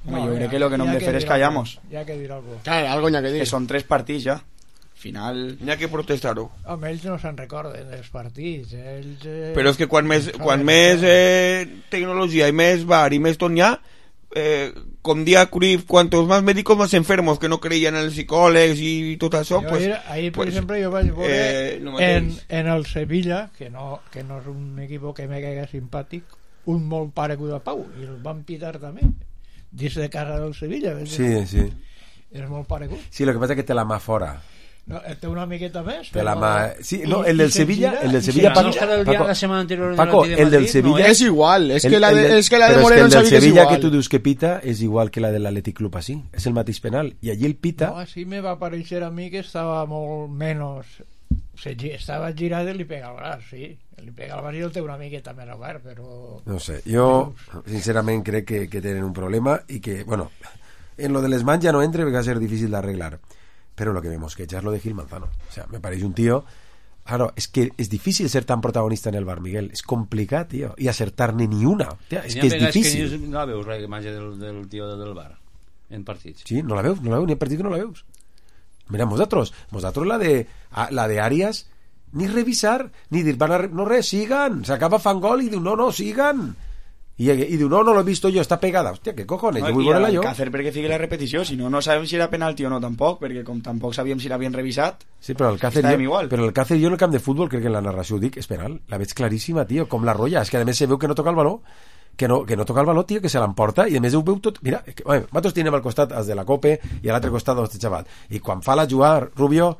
No, yo creo que lo que no hem de fer és callamos. Ya que dir algo. Claro, algo n'hi ha que dir. Que són tres partits ja. Al final... N'hi ha que protestar-ho. Home, ells no se'n recorden dels partits. Ells, eh... Però és que quan més, quan més eh, tecnologia i més bar i més tot n'hi ha, eh, com dia Cruyff, cuantos más médicos más enfermos que no creían en els psicòlegs i tot això, jo pues, ahir, ahir per pues, exemple jo vaig veure eh, no en, en el Sevilla, que no, que no és un equip que me caiga simpàtic, un molt paregut a Pau, i el van pitar també dins de casa del Sevilla. Sí, sí. És molt paregut. Sí, lo que passa és que té la mà fora. No, té una miqueta més. Té la mà... Sí, no, I, el del Sevilla, el del Sevilla, Paco, Paco, la semana anterior Paco, el del Sevilla no, és igual, és el, que la de, el, és que la de però Moreno és que el del Sevilla que que tu dius que pita és igual que la de l'Atlètic Club así, és el mateix penal, i allí el pita... No, així me va aparèixer a mi que estava molt menys... Se, estava girat i li pega el braç, sí. Li pega el braç i el té una miqueta més obert, però... No sé, jo sincerament crec que, que tenen un problema i que, bueno, en lo de les mans ja no entre perquè va ser difícil d'arreglar. Pero lo que me mosquecha es lo de Gil Manzano. O sea, me parece un tío... Claro, es que es difícil ser tan protagonista en el bar, Miguel. Es complicado, tío. Y acertar-ne ni una. Tía, es que es difícil. És que no la veus, la imatge del, del tío del bar, en partits. Sí, no la veus, no la veus, ni en partit que no la veus. Mira, vosotros, vosotros la de, la de Arias, ni revisar, ni dir, van a, no res, sigan. S'acaba fan gol i diu, no, no, sigan. I, i diu, no, no l'he vist jo, està pegada. Hòstia, què cojones, no, jo vull veure-la jo. Càcer perquè fiqui la repetició, si no, no sabem si era penalti o no tampoc, perquè com tampoc sabíem si l'havien revisat, sí, però el Càcer jo, però el Càcer jo en el camp de futbol, crec que en la narració ho dic, és penal, la veig claríssima, tio, com la rolla, és que a més se veu que no toca el baló, que no, que no toca el baló, tio, que se l'emporta, i a més ho veu tot, mira, que, oye, nosaltres tenim al costat els de la Cope i a l'altre costat els de xaval, i quan fa la jugar Rubio,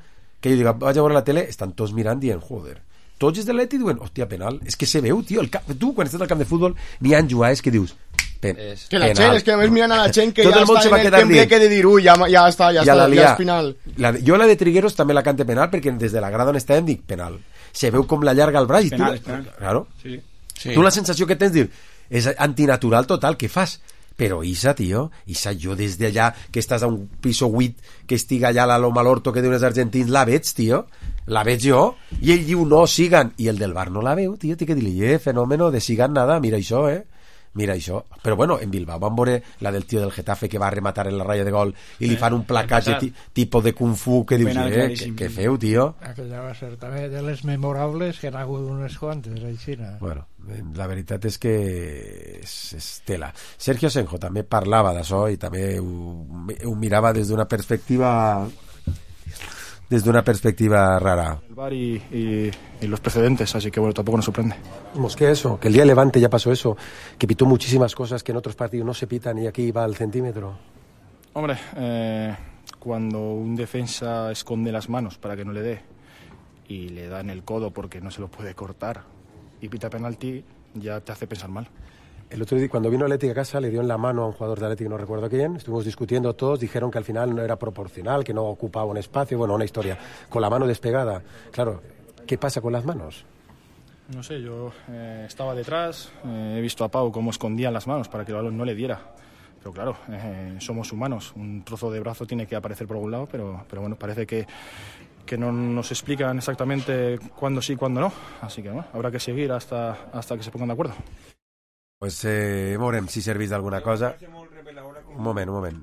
que jo dic, vaig a veure la tele, estan tots mirant dient, joder, tots els de l'Eti diuen, hòstia, penal, és que se veu, tio, el camp, tu quan estàs al camp de futbol n'hi ha jugades que dius, pen, és, que la gent, és que a més miren a la gent que tot ja el està en el temple que de dir, ui, ja, ja està, ja, ja està, ja és penal. La, jo la de Trigueros també la cante penal perquè des de la grada on estàvem dic penal. Se veu com la llarga el braç i penal, tu, penal. Claro, sí. Sí. Tu la sensació que tens dir, és antinatural total, què fas? Però Isa, tio, Isa, jo des d'allà que estàs a un piso vuit que estiga allà a la Loma l'Orto que diuen els argentins, la veig, tio, la veig jo, i ell diu no, sigan, i el del bar no la veu, tio, té que dir-li, eh, fenómeno de sigan nada, mira això, eh, mira això, però bueno, en Bilbao van veure la del tio del Getafe que va rematar en la ratlla de gol i li fan un placatge ti, tipus de Kung Fu que dius, eh, que, que feu, tio. Aquella va ser també de les memorables que n'ha hagut unes quantes, aixina. Bueno, la veritat és que és, és tela. Sergio Senjo també parlava d'això i també ho, ho mirava des d'una perspectiva desde una perspectiva rara. El V A R y, y, y los precedentes, así que bueno, tampoco nos sorprende. Vamos, que eso, que el día de Levante ya pasó eso, que pitó muchísimas cosas que en otros partidos no se pitan y aquí va al centímetro. Hombre, eh, cuando un defensa esconde las manos para que no le dé y le da en el codo porque no se lo puede cortar y pita penalti, ya te hace pensar mal. El otro día, cuando vino Atleti a casa, le dio en la mano a un jugador de Atleti, no recuerdo quién, estuvimos discutiendo todos, dijeron que al final no era proporcional, que no ocupaba un espacio, bueno, una historia, con la mano despegada. Claro, ¿qué pasa con las manos? No sé, yo eh, estaba detrás, eh, he visto a Pau cómo escondían las manos para que el balón no le diera. Pero claro, eh, somos humanos, un trozo de brazo tiene que aparecer por algún lado, pero, pero bueno, parece que, que no nos explican exactamente cuándo sí y cuándo no. Así que bueno, habrá que seguir hasta, hasta que se pongan de acuerdo. Pues eh, veurem si servís d'alguna cosa. Un moment, un moment.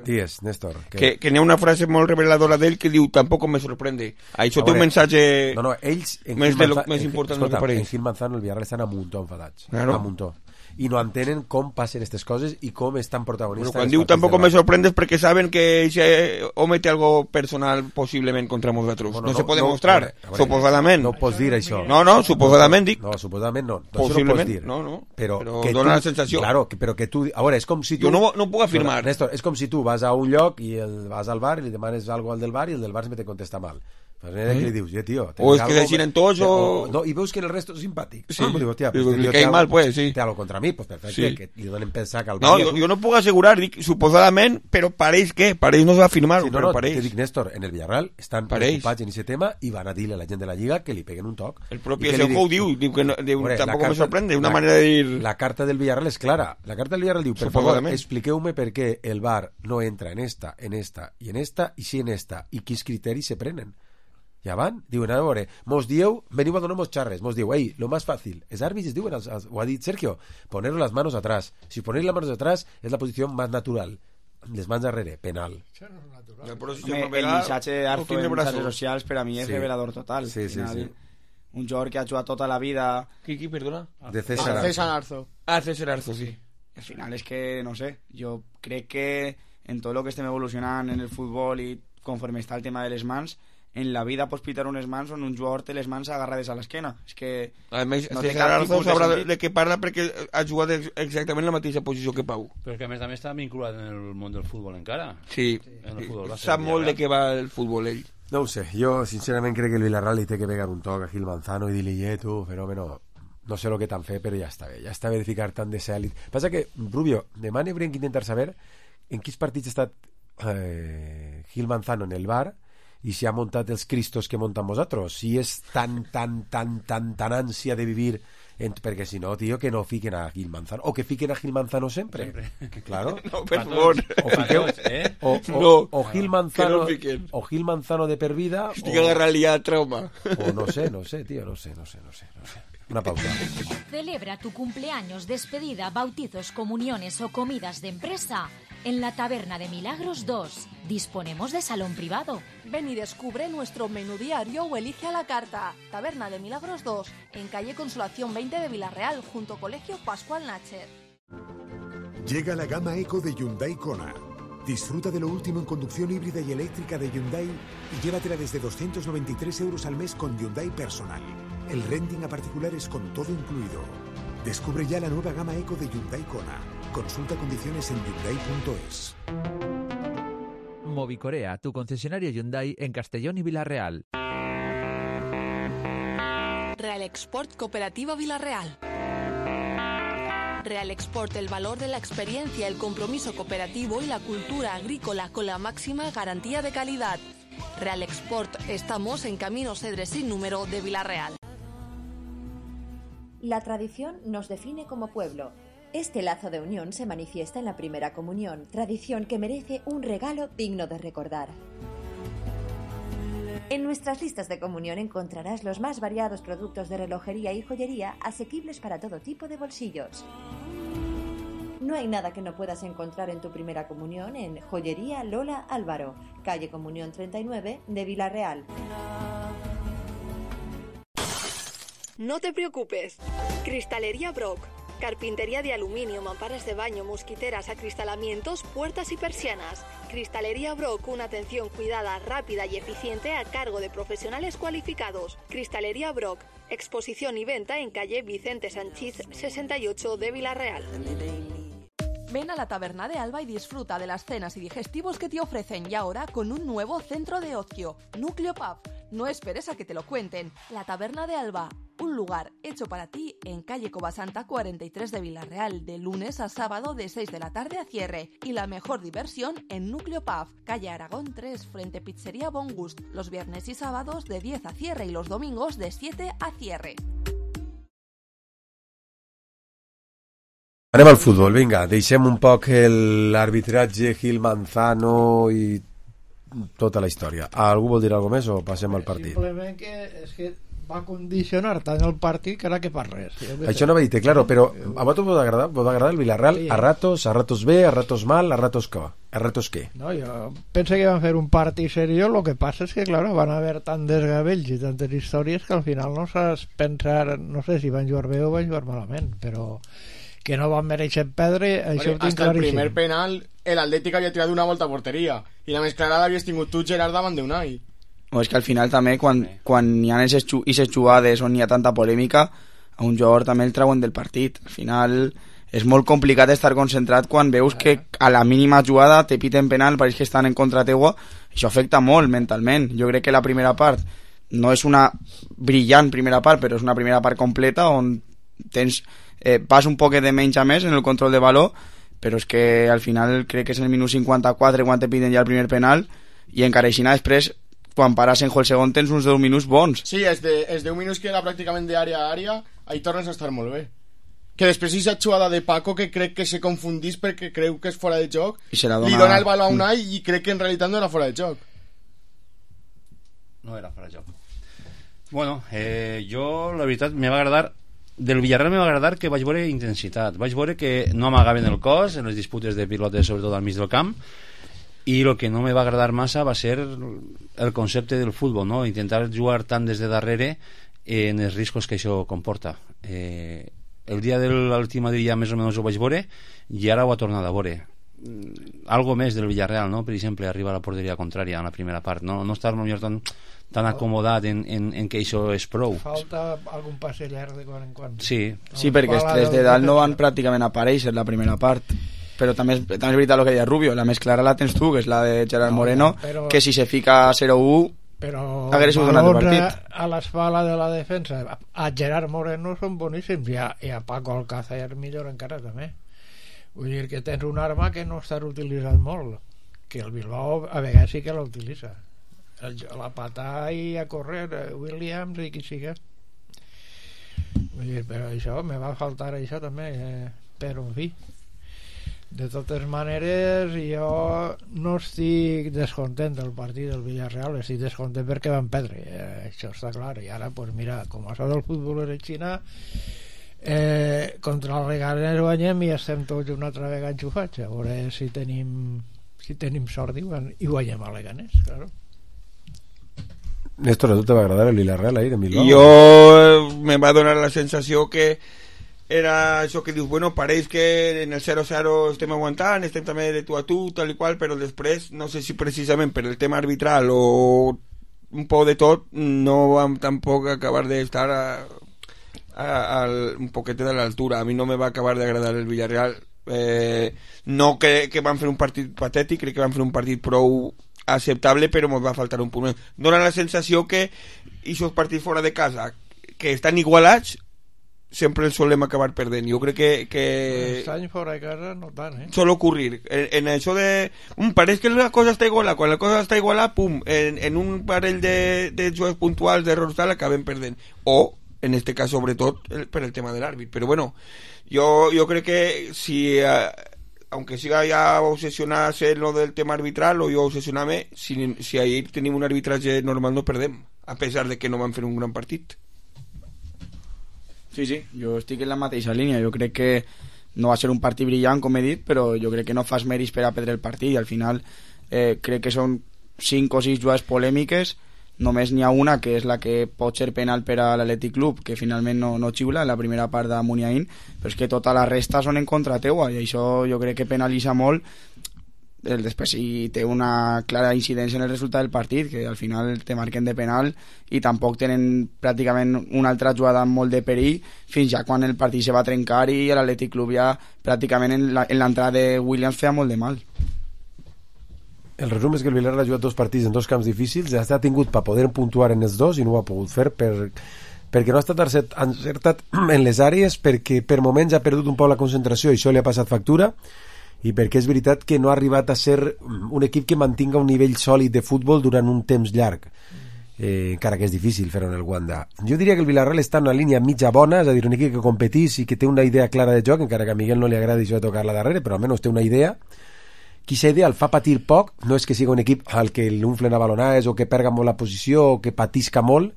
Digues, Néstor. Que, que, que n'hi ha una frase molt reveladora d'ell que diu tampoc me sorprende. Això té un missatge no, no, ells, més, de lo, més important escolta, del que per ells. En Gil Manzano el Villarreal estan a muntó enfadats. Claro. A muntó. I no entenen com passen aquestes coses i com estan protagonistes. Però quan diu tampoc me sorprende és perquè saben que ese home té algo personal possiblement contra nosaltres. Bueno, no, no se pot demostrar, no, veure, suposadament. No pots dir això. No, no, suposadament dic. No, suposadament no. Possiblement, no pots dir. No, no. Però, però que dona tu, la sensació. Claro, que, però que tu... A veure, és com si tu... Jo no, no puc afirmar. Però, Néstor, és com si tu vas a un lloc i el, vas al bar i li demanes algo al del bar i el del bar sempre te contesta mal. Pues mira ¿Eh? que li dius, ja, tio... O és que deciden tots o... o... No, i veus que el resto és simpàtic. Sí. Ah, digo, hostia, pues pues, li cae mal, pues, sí. Té algo contra mi, pues perfecte, sí. Que li donen pensar que al No, bar... jo, jo no puc assegurar, dic, suposadament, però pareix què? Pareix no s'ha afirmat, sí, no, però no, pareix. Te dic, Néstor, en el Villarreal estan pareix. preocupats en aquest tema i van a dir a la gent de la Lliga que li peguen un toc. El propi Seujo ho diu, diu que no, diu, Hombre, tampoc carta, me sorprende, una la, manera de dir... La carta del Villarreal és clara. La carta del Villarreal diu, per favor, expliqueu-me per què el V A R no entra en esta, en esta i en esta, i sí en esta, i quins criteris se prenen. Ja van, diuen, a veure, mos dieu, veniu a donar-nos xarres, mos diu, ei, lo más fácil, els àrbits es diuen, ho ha dit Sergio, poner las manos atrás. Si ponéis las manos atrás es la posición más natural. Les mans darrere, penal. Home, el missatge d'Arzo en xarxes socials per a mi és sí. revelador total. Sí, sí, final, sí. Un jugador que ha jugat tota la vida... Qui, qui, perdona? De César, ah, César Arzo. Ah, César Arzo, sí. Al final és que, no sé, jo crec que en tot el que estem evolucionant en el futbol i conforme està el tema de les mans, en la vida pots pitar unes mans on un jugador té les mans agarrades a l'esquena. És que a més, no César Arzo sabrà de, de què parla perquè ha jugat exactament la mateixa posició que Pau. Però que a més a més està vinculat en el món del futbol encara. Sí, en el futbol, sap molt de què va el futbol ell. No ho sé, jo sincerament crec que el Villarreal li té que pegar un toc a Gil Manzano i dir-li, eh, tu, fenòmeno, no sé lo que t'han fet, però ja està bé, ja està bé de ficar tant de cel. Passa que, Rubio, demà n'haurem que intentar saber en quins partits ha estat eh, Gil Manzano en el bar i si ha muntat els cristos que muntan vosaltres, si és tan, tan, tan, tan, tan ànsia de vivir, en... perquè si no, tio, que no fiquen a Gil Manzano, o que fiquen a Gil Manzano sempre. sempre. Claro. No, per favor. O, fiqueu, eh? o, o, no, o, Gil Manzano, no o Gil Manzano de per vida, estic o... agarrant ja trauma. O no sé, no sé, tío, no sé, no sé, no sé, no sé. Una pausa. Celebra tu cumpleaños, despedida, bautizos, comuniones o comidas de empresa en la Taberna de Milagros dos. Disponemos de salón privado. Ven y descubre nuestro menú diario o elige a la carta. Taberna de Milagros dos, en calle Consolación veinte de Villarreal, junto a Colegio Pascual Nacher. Llega la gama Eco de Hyundai Kona. Disfruta de lo último en conducción híbrida y eléctrica de Hyundai y llévatela desde doscientos noventa y tres euros al mes con Hyundai Personal. El renting a particulares con todo incluido. Descubre ya la nueva gama Eco de Hyundai Kona. Consulta condiciones en hyundai punto es. Movicorea, tu concesionario Hyundai en Castellón y Villarreal. Real Export Cooperativa Villarreal. Real Export, el valor de la experiencia, el compromiso cooperativo y la cultura agrícola con la máxima garantía de calidad. Real Export, estamos en Camino Cedres sin número de Villarreal. La tradición nos define como pueblo. Este lazo de unión se manifiesta en la primera comunión, tradición que merece un regalo digno de recordar. En nuestras listas de comunión encontrarás los más variados productos de relojería y joyería asequibles para todo tipo de bolsillos. No hay nada que no puedas encontrar en tu primera comunión en Joyería Lola Álvaro, calle Comunión treinta y nueve de Villarreal. No te preocupes. Cristalería Brock. Carpintería de aluminio, mamparas de baño, mosquiteras, acristalamientos, puertas y persianas. Cristalería Brock, una atención cuidada, rápida y eficiente a cargo de profesionales cualificados. Cristalería Brock, exposición y venta en calle Vicente Sanchís sesenta y ocho de Villarreal. Ven a la Taberna de Alba y disfruta de las cenas y digestivos que te ofrecen, y ahora con un nuevo centro de ocio, Núcleo Pub. No esperes a que te lo cuenten. La Taberna de Alba, un lugar hecho para ti en calle Covasanta cuarenta y tres de Villarreal, de lunes a sábado de seis de la tarde a cierre. Y la mejor diversión en Núcleo Pub, calle Aragón tres, frente Pizzería Bon Gust, los viernes y sábados de diez a cierre y los domingos de siete a cierre. Anem al futbol, vinga, deixem un poc l'arbitratge Gil Manzano i tota la història. Algú vol dir alguna més o passem al partit? Simplement que és que va condicionar tant el partit que ara que per res. Això no m'ha dit, claro, però a vosaltres vos agrada, vos agrada el Villarreal Sí. a ratos, a ratos bé, a ratos mal, a ratos què? A ratos què? No, jo penso que van fer un partit seriós, lo que passa és que, claro, van haver tant desgavells i tantes històries que al final no saps pensar, no sé si van jugar bé o van jugar malament, però que no van mereixer perdre, això ho tinc hasta el claríssim. primer penal el Atlètic havia tirat una volta a porteria i la més clara l'havies tingut tu, Gerard, davant d'Unai. O és que al final també quan, quan hi ha aquestes jugades on hi ha tanta polèmica, a un jugador també el treuen del partit. Al final és molt complicat estar concentrat quan veus que a la mínima jugada te piten penal, pareix que estan en contra teua. Això afecta molt mentalment. Jo crec que la primera part no és una brillant primera part, però és una primera part completa on tens eh, vas un poquet de menys a més en el control de valor, però és que al final crec que és el minut cinquanta-quatre quan te piden ja el primer penal i encara així després quan pares en el segon tens uns deu minuts bons. Sí, és de, és deu minuts que era pràcticament d'àrea a àrea, ahí tornes a estar molt bé. Que després aquesta jugada de Paco que crec que se confundís perquè creu que és fora de joc, I se la dona... li dona el baló a Unai i crec que en realitat no era fora de joc. No era fora de joc. Bueno, eh, jo la veritat me va agradar del Villarreal me va agradar que vaig veure intensitat, vaig veure que no amagaven el cos en les disputes de pilotes, sobretot al mig del camp, i el que no me va agradar massa va ser el concepte del futbol, no? Intentar jugar tant des de darrere en els riscos que això comporta. Eh, el dia de l'última dia més o menys ho vaig veure i ara ho ha tornat a veure. Algo més del Villarreal, no? Per exemple, arriba a la porteria contrària en la primera part, no, no estar millor tan, tan acomodat en, en, en que això és prou. Falta algun passe llarg de quan en quan. Sí, sí perquè els tres de dalt no van pràcticament aparèixer la primera part, però també és, també és veritat el que deia Rubio, la més clara la tens tu, que és la de Gerard No, Moreno, però- que si se fica zero u però hagués sigut un altre valors partit. a, a l'espala de la defensa a Gerard Moreno són boníssims i a, i a Paco Alcácer millor encara també. Vull dir que tens una arma que no està utilitzant molt, que el Bilbao a vegades sí que la utilitza, el, la patar i a correr eh, Williams i qui siga. Vull dir, però això me va faltar això també, eh, però en fi, de totes maneres jo no estic descontent del partit del Villarreal, estic descontent perquè van perdre, eh, això està clar. I ara pues mira, com això del futbol és Xina, eh, contra el Leganés guanyem i estem tots una altra vegada enxufats, a veure si tenim si tenim sort i guan- i guanyem a Leganés, claro. Néstor, a tu te va agradar el Villarreal ahir en Bilbao? Jo me va donar la sensació que era això que dius, bueno, pareix que en el zero zero estem aguantant, estem també de tu a tu, tal i qual, però després, no sé si precisament per el tema arbitral o un poc de tot, no vam tampoc acabar d'estar a, a, a un poquet de l'altura. A mi no me va acabar d'agradar el Villarreal. Eh, no que, que van fer un partit patètic, crec que van fer un partit prou acceptable, però ens va faltar un punt. Dóna la sensació que aquests partits fora de casa que estan igualats sempre els solem acabar perdent. Jo crec que, que... Aquest any fora de casa no tant, eh? Sol ocurrir en, en això de um, pareix que la cosa està igualada, quan la cosa està igualada, pum, en, en un parell de, de jocs puntuals d'errors tal acabem perdent, o en este cas sobretot el, per el tema de l'àrbit. Però bueno, jo, jo crec que si eh, aunque siga ya obsesionarse en lo del tema arbitral o jo obsesionarme, si, si ahir tenim un arbitratge normal no perdem, a pesar de que no van fer un gran partit. Sí, sí, jo estic en la mateixa línia. Jo crec que no va ser un partit brillant, com he dit, però jo crec que no fas mèrits per a perdre el partit i al final eh, crec que són cinc o sis jugades polèmiques només n'hi ha una que és la que pot ser penal per a l'Atlètic Club, que finalment no, no xiula en la primera part de Muniain, però és que tota la resta són en contra teua, i això jo crec que penalitza molt. El, després sí té una clara incidència en el resultat del partit, que al final te marquen de penal i tampoc tenen pràcticament una altra jugada amb molt de perill fins ja quan el partit se va trencar i l'Atlètic Club ja pràcticament en l'entrada de Williams feia molt de mal. El resum és que el Villarreal ha jugat dos partits en dos camps difícils, ja ha tingut per poder puntuar en els dos i no ho ha pogut fer per, perquè no ha estat encertat en les àrees, perquè per moments ha perdut un poc la concentració i això li ha passat factura, i perquè és veritat que no ha arribat a ser un equip que mantinga un nivell sòlid de futbol durant un temps llarg, eh, encara que és difícil fer-ho en el Wanda. Jo diria que el Villarreal està en una línia mitja bona, és a dir, un equip que competís i que té una idea clara de joc, encara que a Miguel no li agradi això de tocar-la darrere, però almenys té una idea. Quina idea el fa patir poc, no és que sigui un equip al que l'unflen a balonades o que perga molt la posició o que patisca molt,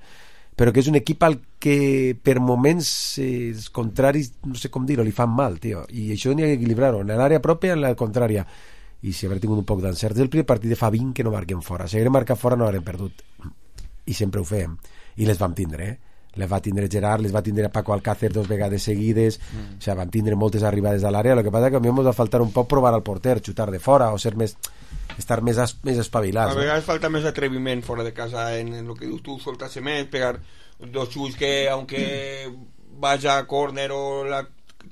però que és un equip al que per moments eh, els contraris, no sé com dir-ho, li fan mal, tio, i això n'hi ha que equilibrar-ho, en l'àrea pròpia en la contrària, i si haver tingut un poc d'encert del primer partit de fa vint que no marquen fora, si haguem marcat fora no l'haurem perdut, i sempre ho fèiem, i les vam tindre, eh? les va tindre Gerard, les va tindre Paco Alcácer dos vegades seguides, mm. o sigui, vam tindre moltes arribades a l'àrea, el que passa que a mi ens va faltar un poc provar al porter, xutar de fora o ser més, estar més, es, més espavilats. A vegades no? Falta més atreviment fora de casa en, en lo que dius tu, soltarse més, pegar dos xuts que aunque vaya a córner o la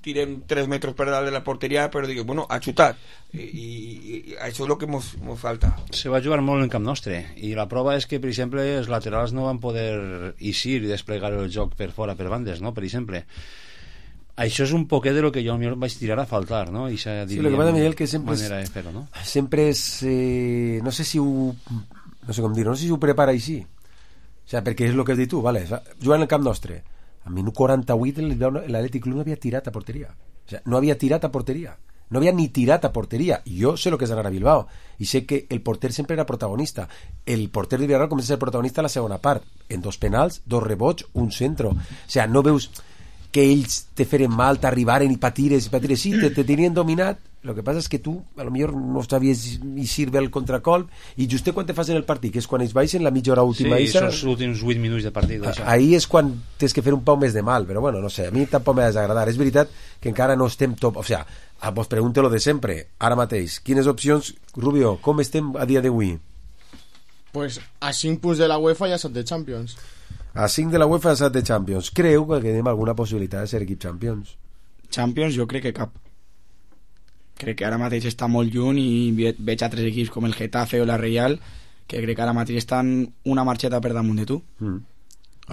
tiren tres metros per dalt de la porteria, però digues, bueno, ha xutat i, i, i això és el que mos, mos falta. Se va jugar molt en camp nostre i la prova és que, per exemple, els laterals no van poder eixir i desplegar el joc per fora, per bandes, no? Per exemple, això és un poquet de lo que jo vaig tirar a faltar, no? I sí, lo que passa, Miguel, que sempre manera és, de fer-ho, no? sempre és eh, no sé si ho no sé com dir, no sé si ho prepara així, o sigui, perquè és el que has dit tu, vale, jugant en el camp nostre a minut quaranta-vuit l'Atlètic Club no havia tirat a porteria, o sigui, no havia tirat a porteria, no havia ni tirat a porteria. Jo sé el que és anar a Bilbao i sé que el porter sempre era protagonista. El porter de Villarreal comença a ser protagonista a la segona part, en dos penals, dos rebots, un centro, o sigui, no veus que ells te feren mal, t'arribaren i patires i patires, sí, te, te tenien dominat. El que passa és que tu a lo millor no sabies eixir bé el contracolp i just quan te fas en el partit, que és quan ells baixen la mitja hora última, sí, els últims vuit minuts de partit, ahí és quan tens que fer un poc més de mal, però bueno, no sé, a mi tampoc m'ha desagradar. És veritat que encara no estem top, o sigui, sea, vos pregunte lo de sempre, ara mateix, quines opcions, Rubio, com estem a dia d'avui? Pues a cinc punts de la UEFA i a set de Champions. A cinc de la UEFA i a set de Champions. Creu que tenim alguna possibilitat de ser equip Champions? Champions jo crec que cap. Crec que ara mateix està molt lluny i veig altres equips com el Getafe o la Real que crec que ara mateix estan una marxeta per damunt de tu. Mm.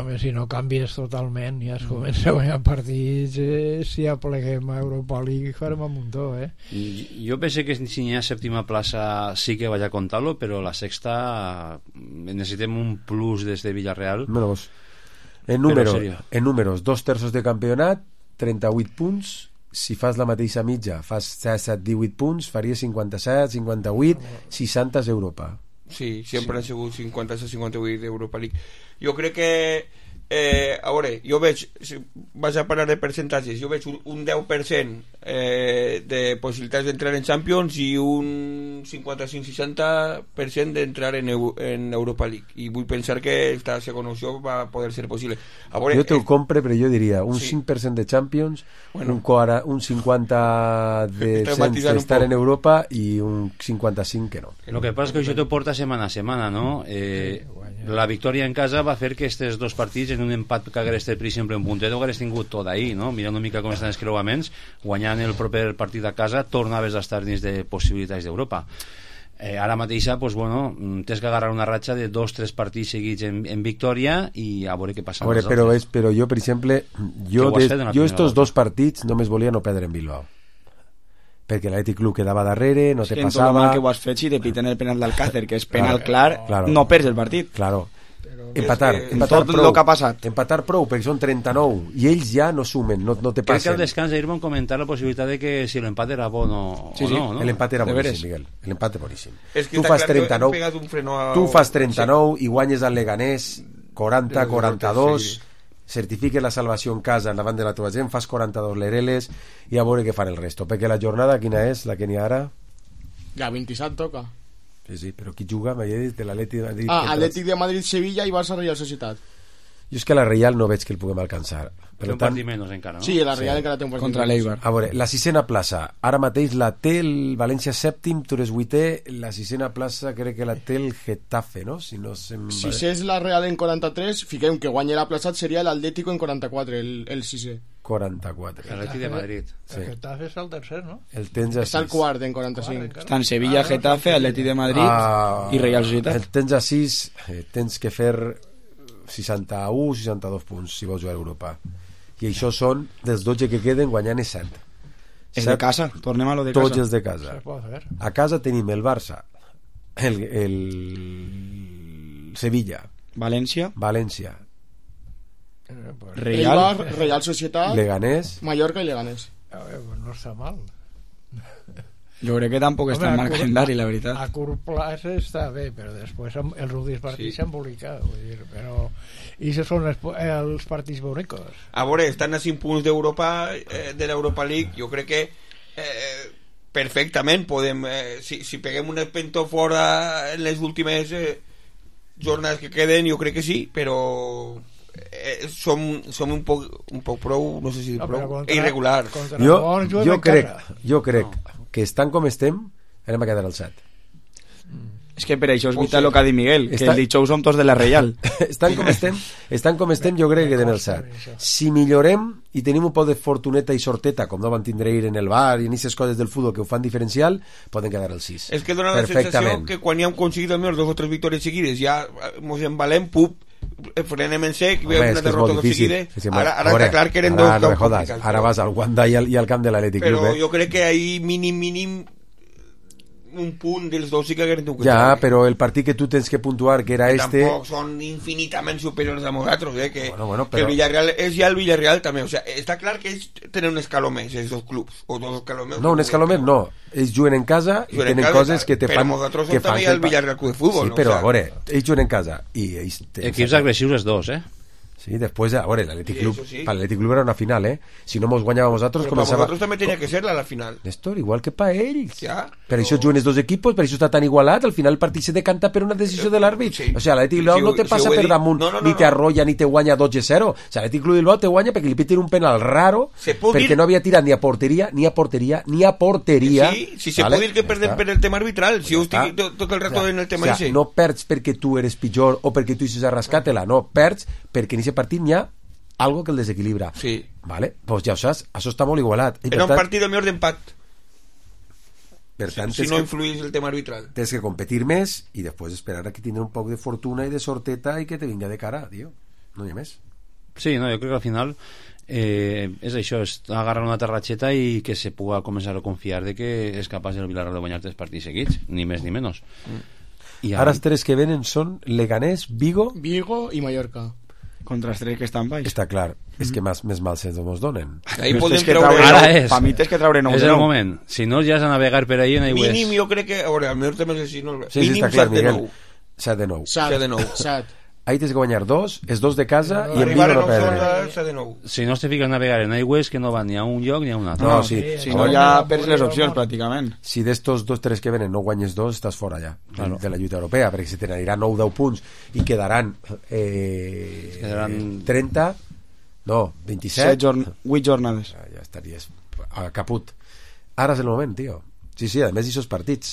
Home, si no canvies totalment i es comença a guanyar partits, eh, si apleguem a Europa League farem un muntó, eh? Jo penso que si hi ha sèptima plaça sí que vaig a contar-lo, però la sexta necessitem un plus des de Villarreal. Menos. En números, en números, dos terços de campionat, trenta-vuit punts. Si fas la mateixa mitja, fas set divuit punts, faries cinquanta-set, cinquanta-vuit, seixanta és Europa. Sí, sempre sí. Han sigut cinquanta-set cinquanta-vuit d'Europa League. Jo crec que eh, a veure, jo veig, si vas a parlar de percentatges, jo veig un, un deu per cent eh, de possibilitats d'entrar en Champions i un cinquanta-cinc seixanta per cent d'entrar en, en Europa League, i vull pensar que esta segona opció va poder ser possible. A veure, jo te'l eh, compre, però jo diria un sí. cinc per cent de Champions, bueno, un, un cinquanta de estar en Europa i un cinquanta-cinc que no. El que passa és que això t'ho porta setmana a setmana, no? Eh, la victòria en casa va fer que aquests dos partits en un empat que hagués estat per exemple un puntet ho hagués tingut tot ahir, no? Mirant una mica com estan els creuaments, guanyant el proper partit a casa tornaves a estar dins de possibilitats d'Europa. Eh, ara mateixa, pues, bueno, tens que agarrar una ratxa de dos tres partits seguits en, en victòria i a veure què passa. A veure, però, és, però jo, per exemple, jo, des, jo estos dos partits només volia no perdre en Bilbao, perquè l'Atlètic Club quedava darrere, no te passava. En tot el que ho has fet, si te piten el penal d'Alcácer, que és penal clar, claro, no perds el partit. Claro. Empatar, que empatar tot prou, el que ha passat. Empatar prou, perquè són trenta-nou i ells ja no sumen, no, no te passen. Crec que al descans ahir van comentar la possibilitat de que si l'empat era bon o, sí, o sí, no, no. L'empat era boníssim, Miguel, l'empat era boníssim. Es que tu fas trenta-nou, a... tu fas trenta-nou i guanyes al Leganés quaranta quaranta-dos, certifiques la salvació en casa davant de la teva gent, fas quaranta-dos l'Ereles i a veure què fan el resto, perquè la jornada quina és, la que n'hi ha ara? La vint-i-set toca. Sí, sí, però qui juga, m'havia dit, de l'Atlètic de Madrid... Ah, Atlètic de Madrid, Sevilla i Barça Real Societat. Jo és que la Real no veig que el puguem alcançar. Per un partit menys encara, no? Sí, la Real sí. encara té un partit contra l'Eibar. A veure, la sisena plaça, ara mateix la té el València sèptim, tu eres vuitè, la sisena plaça crec que la té el Getafe, no? Si no se'm... Si és la Real en quaranta-tres, fiquem que guanya la plaçat seria l'Atlético en quaranta-quatre, el, el sisè. quaranta-quatre. L'Atlètic de Madrid. Sí. El Getafe és el tercer, no? El tens a Està el quart en quaranta-cinc. Estan Sevilla, ah, Getafe, Atlètic de Madrid ah, i Real Societat. El tens a sis, eh, tens que fer seixanta-u seixanta-dos punts si vols jugar a Europa. I això són dels dotze que queden guanyant és set. És de casa, tornem a lo de casa. Tots els de casa. A casa tenim el Barça, el, el Sevilla, València, València, Real, Eibar, Real Societat, Leganés, Mallorca i Leganés. A veure, no està mal. Jo crec que tampoc està en mal calendari, la veritat. A curt plaç està bé, però després els últims partits s'han embolicat, vull dir, però... I això són els, els partits bonicos. A veure, estan a cinc punts d'Europa, eh, de l'Europa League, jo crec que eh, perfectament podem... Eh, si, si peguem un espentó fora en les últimes eh, jornades que queden, jo crec que sí, però... Eh, som, som un poc, un poc prou, no sé si no, prou, contra, irregular. Jo, jo crec, jo crec no. que estan com estem, anem a quedar al set. És que per això és vital el que ha dit Miguel, que el dijous som tots de la Reial. estan com estem, estan com estem, jo crec que queden al set. Si millorem i tenim un poc de fortuneta i sorteta, com no van tindre ir en el bar i en aquestes coses del futbol que ho fan diferencial, poden quedar al sis. És que dona la sensació que quan ja hem aconseguit almenys dos o tres victòries seguides, ja mos embalem, pup, frenem en sec i veiem una derrota tot seguida. Ara, ara està clar que eren ara, dos no jodas, ara vas al Wanda i al, i al camp de l'Atlètic Club, però eh? jo crec que ahí mínim mínim un punt dels dos sí que hagueren tingut que ja, estar, però el partit que tu tens que puntuar que era que este tampoc són infinitament superiors a nosaltres, eh? que, bueno, bueno, però... que el Villarreal és ja el Villarreal també, o sea, està clar que ells tenen un escaló més, els dos clubs o dos escaló més, no, un escaló més no, ells juguen en casa i tenen casa, coses que te però fan nosaltres que som també el Villarreal Club de Futbol, sí, no? però o sea, a veure, ells juguen en casa i ells equips agressius els dos, eh? Sí, después, a ver, el Athletic sí, Club, sí. para el Athletic Club era una final, ¿eh? Si no hemos guanyado nosotros, pero comenzaba... para vosotros también tenía que ser la, la final. Néstor, igual que para ells. Ja, per això juguen els dos equipos, per això està tan igualat, al final el partit se decanta per una decisió de l'àrbit. Sí. O sea, l'Athletic Club sí, no te passa sí, per damunt, no, no, no, ni te arrolla, ni te guanya dotze a zero. O sea, l'Athletic Club Bilbao te guanya perquè li piten un penal raro, perquè dir... no havia tirat ni a porteria, ni a porteria, ni a porteria. Sí, si se ¿vale? Pot dir que perden per el tema arbitral, si ho estic tot, tot el rato o sea, en el tema o sea, ese. No perds perquè tu eres pitjor o perquè tu hiciste rascàtela, no, perds perquè en aquest partit n'hi ha algo que el desequilibra. Sí. Vale? Pues ja ho saps, això està molt igualat. I era un tant, partit millor d'empat. Per tant, si, si no influís el tema arbitral. Tens que competir més i després esperar a que tindre un poc de fortuna i de sorteta i que te vinga de cara, tio. No hi ha més. Sí, no, jo crec que al final eh, és això, és agarrar una terratxeta i que se puga començar a confiar de que és capaç el Villarreal de guanyar tres partits seguits, ni més ni menys. Mm. I ara els tres que venen són Leganés, Vigo... Vigo i Mallorca. Contra els tres que estan baix. Està clar, mm. és que més, més mal se ens donen. Ahí podem que treure, ara és. Pa mi tens que treure nou és de nou. el moment. Si no, ja has de navegar per ahí en aigües. Mínim, jo crec que... A veure, al millor també és així. No? Sí, mínim sí, està clar, Miguel. set de nou. set de nou. set. Ahí tens que guanyar dos, és dos de casa no, i en Vigo no perdre. set de nou. Si no te fiques a navegar en aigües que no van ni a un lloc ni a un altre. No, sí. Si no, ja perds les opcions, pràcticament. Si d'estos dos, tres que venen no guanyes dos, estàs fora ja claro. de la lluita europea, perquè si te n'anirà nou deu punts i quedaran, eh, quedaran... trenta, no, vint-i-set. Jorn... vuit jornades. Ja, ja estaries a caput. Ara és el moment, tio. Sí, sí, a més d'aquests partits.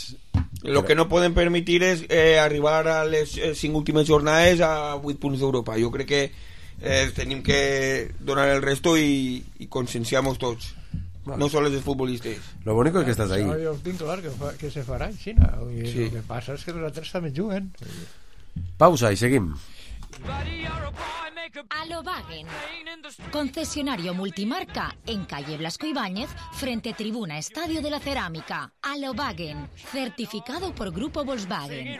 Lo que no podem permitir és eh, arribar a les eh, cinc últimes jornades a vuit punts d'Europa. Jo crec que eh, tenim que donar el resto i, i conscienciamos tots. Vale. No sols els futbolistes. Lo bonico es que estàs ahí. Jo tinc clar que, fa, que se farà en Xina. Sí. El que passa és que els altres també juguen. Pausa i seguim. Alobagen, concesionario multimarca en calle Blasco Ibáñez frente Tribuna Estadio de la Cerámica. Alobagen, certificado por Grupo Volkswagen.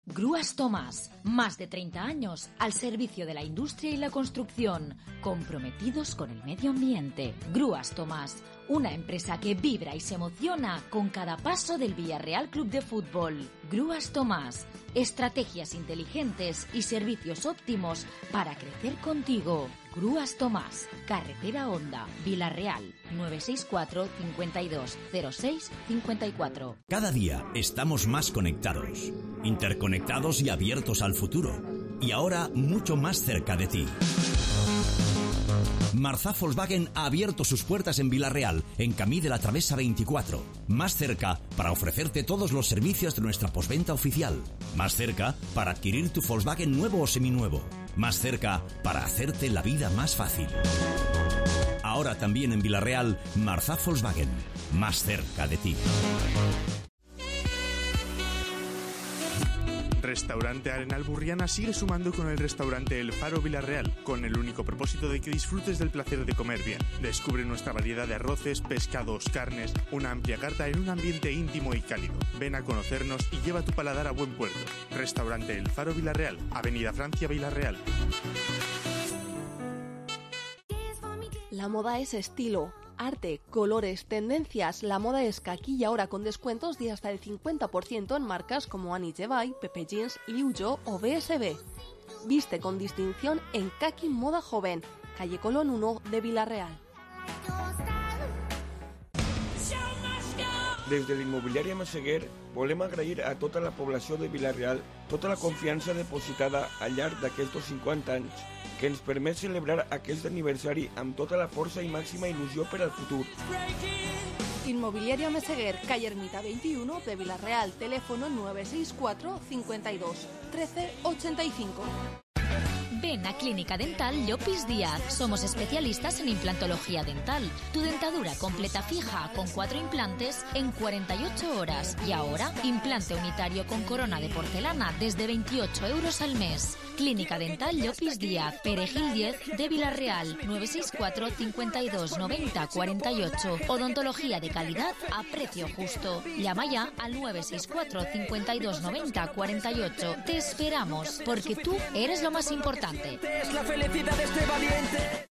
Grúas Tomás, Más de treinta años al servicio de la industria y la construcción, comprometidos con el medio ambiente. Grúas Tomás, una empresa que vibra y se emociona con cada paso del Villarreal Club de Fútbol. Grúas Tomás, estrategias inteligentes y servicios óptimos para crecer contigo. Grúas Tomás, Carretera Honda, Villarreal, nueve seis cuatro, cincuenta y dos, cero seis, cincuenta y cuatro. Cada día estamos más conectados, interconectados y abiertos al futuro. Y ahora mucho más cerca de ti. Marzá Volkswagen ha abierto sus puertas en Villarreal, en Camí de la Travesa veinticuatro. Más cerca para ofrecerte todos los servicios de nuestra postventa oficial. Más cerca para adquirir tu Volkswagen nuevo o seminuevo. Más cerca para hacerte la vida más fácil. Ahora también en Villarreal, Marzá Volkswagen. Más cerca de ti. Restaurante Arenal Burriana sigue sumando con el restaurante El Faro Villarreal, con el único propósito de que disfrutes del placer de comer bien. Descubre nuestra variedad de arroces, pescados, carnes, una amplia carta en un ambiente íntimo y cálido. Ven a conocernos y lleva tu paladar a buen puerto. Restaurante El Faro Villarreal, Avenida Francia Villarreal. La moda es estilo, arte, colores, tendencias. La moda es Kaki y ahora con descuentos de hasta el cincuenta por ciento en marcas como Annie Jebay, Pepe Jeans, Liu Yo o B S B. Viste con distinción en Kaki Moda Joven, calle Colón uno de Villarreal. Des de l'immobiliària Massaguer volem agrair a tota la població de Villarreal tota la confiança depositada al llarg d'aquests cinquanta anys que ens permet celebrar aquest aniversari amb tota la força i màxima il·lusió per al futur. Inmobiliaria Meseguer, calle Ermita veintiuno de Villarreal, teléfono nueve seis cuatro, cincuenta y dos, trece ochenta y cinco. Ven a Clínica Dental Llopis Díaz. Somos especialistas en implantología dental. Tu dentadura completa fija con cuatro implantes en cuarenta y ocho horas. Y ahora, implante unitario con corona de porcelana desde veintiocho euros al mes. Clínica Dental Llopis Díaz, Perejil diez de Villarreal, nueve seis cuatro, cincuenta y dos, noventa, cuarenta y ocho. Odontología de calidad a precio justo. Llama ya al nueve seis cuatro, cincuenta y dos, noventa, cuarenta y ocho. Te esperamos, porque tú eres lo más importante. Es la felicidad de este valiente.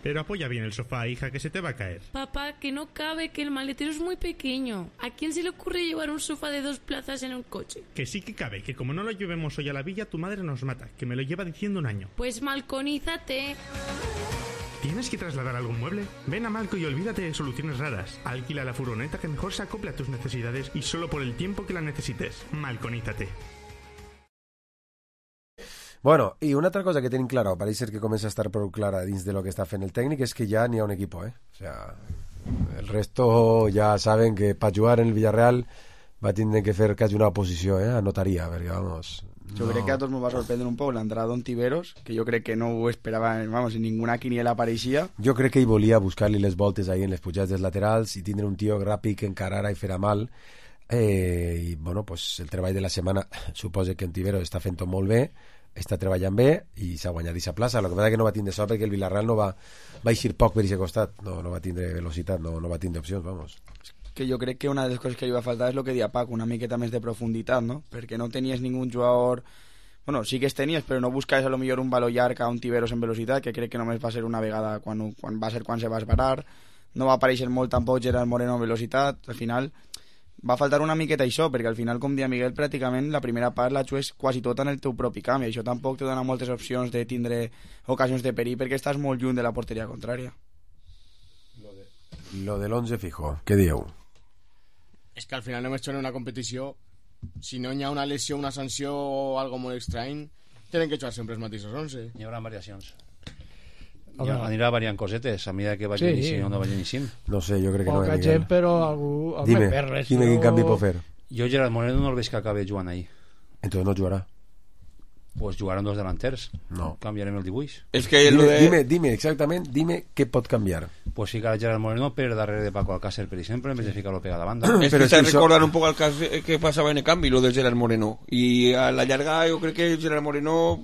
Pero apoya bien el sofá, hija, que se te va a caer. Papá, que no cabe, que el maletero es muy pequeño. ¿A quién se le ocurre llevar un sofá de dos plazas en un coche? Que sí que cabe, que como no lo llevemos hoy a la villa, tu madre nos mata, que me lo lleva diciendo un año. Pues malconízate. ¿Tienes que trasladar algún mueble? Ven a Malco y olvídate de soluciones raras. Alquila la furgoneta que mejor se acople a tus necesidades y solo por el tiempo que la necesites. Malconízate. Bueno, i una altra cosa que tenim clara, o pareix ser que comença a estar prou clara dins de lo que està fent el tècnic, és que ja n'hi ha un equip, eh? O sea, el resto ja saben que per jugar en el Villarreal va tindre que fer quasi una oposició, eh? A notaria, perquè, vamos... Yo no. creo que a todos nos va a sorprender un poco la entrada d'Ontiveros, que yo creo que no ho esperaba, vamos, en ninguna quiniela apareixia. Jo crec que ell volia buscar-li les voltes ahí en les pujades dels laterals i tindre un tio ràpid que encarara i farà mal. Eh, I, bueno, pues el treball de la setmana suposa que Ontiveros està fent tot molt bé, està treballant bé i s'ha guanyat aquesta plaça. El que passa que no va tindre sort perquè el Villarreal no va, va eixir poc per aquest costat, no, no va tindre velocitat, no, no va tindre opcions, vamos. Que jo crec que una de les coses que li va faltar és el que dia Paco, una miqueta més de profunditat, no? Perquè no tenies ningú jugador... Bueno, sí que es tenies, però no buscaves a lo millor un valor llarg a Ontiveros en velocitat, que crec que només va ser una vegada quan, quan va ser quan se va esbarar. No va aparèixer molt tampoc Gerard Moreno en velocitat. Al final va faltar una miqueta això, perquè al final, com dia Miguel, pràcticament la primera part la jugues quasi tota en el teu propi camp, i això tampoc te dona moltes opcions de tindre ocasions de perill, perquè estàs molt lluny de la porteria contrària. Lo de, lo de l'onze fijo, què dieu? És que al final només en una competició, si no hi ha una lesió, una sanció o algo molt estrany, tenen que jugar sempre els mateixos onze. Hi haurà variacions. Ja anirà variant cosetes a mesura que vagi sí. iniciant o no vagi iniciant. No sé, jo crec que Poca no. gent, però algú... Dime, home, dime quin canvi pot fer. Jo Gerard Moreno no el veig que acabe jugant ahí. Entonces no jugarà. Pues jugaran dos delanters. No. Canviarem el dibuix. Es que dime, de... dime, dime, exactament, dime què pot canviar. Pues ficar a Gerard Moreno per darrere de Paco Alcácer, per exemple, en vez de ficar-lo pegada a la banda. Es que te recordar un poco al caso que pasaba en el cambio, lo de Gerard Moreno. Y a la llarga yo creo que Gerard Moreno...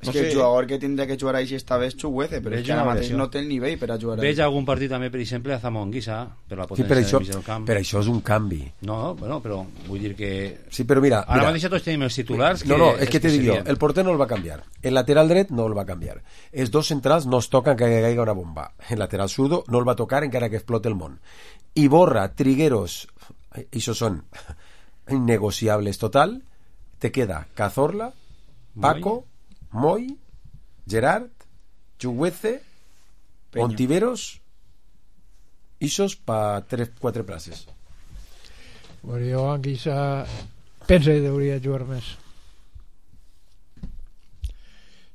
És que el jugador que tindria que jugar així esta vez Chuguece, però és que ara mateix no té el nivell per a jugar Veig algun partit també, per exemple, a Zamonguissa, per la potència sí, per això, del mig del camp. Per això és un canvi. No, bueno, però vull dir que... Sí, però mira... Ara mira, mateix tots tenim els titulars... No, que no, és que, que te dic jo, serien... el porter no el va canviar, el lateral dret no el va canviar, els dos centrals no es toquen que caiga una bomba, el lateral zurdo no el va tocar encara que explote el món. Iborra, Trigueros, això són innegociables total, te queda Cazorla, Paco, Moy, Gerard, Chuguece, Ontiveros, isos pa tres, quatre places. Bueno, jo Anguissa penso que hauria de jugar més.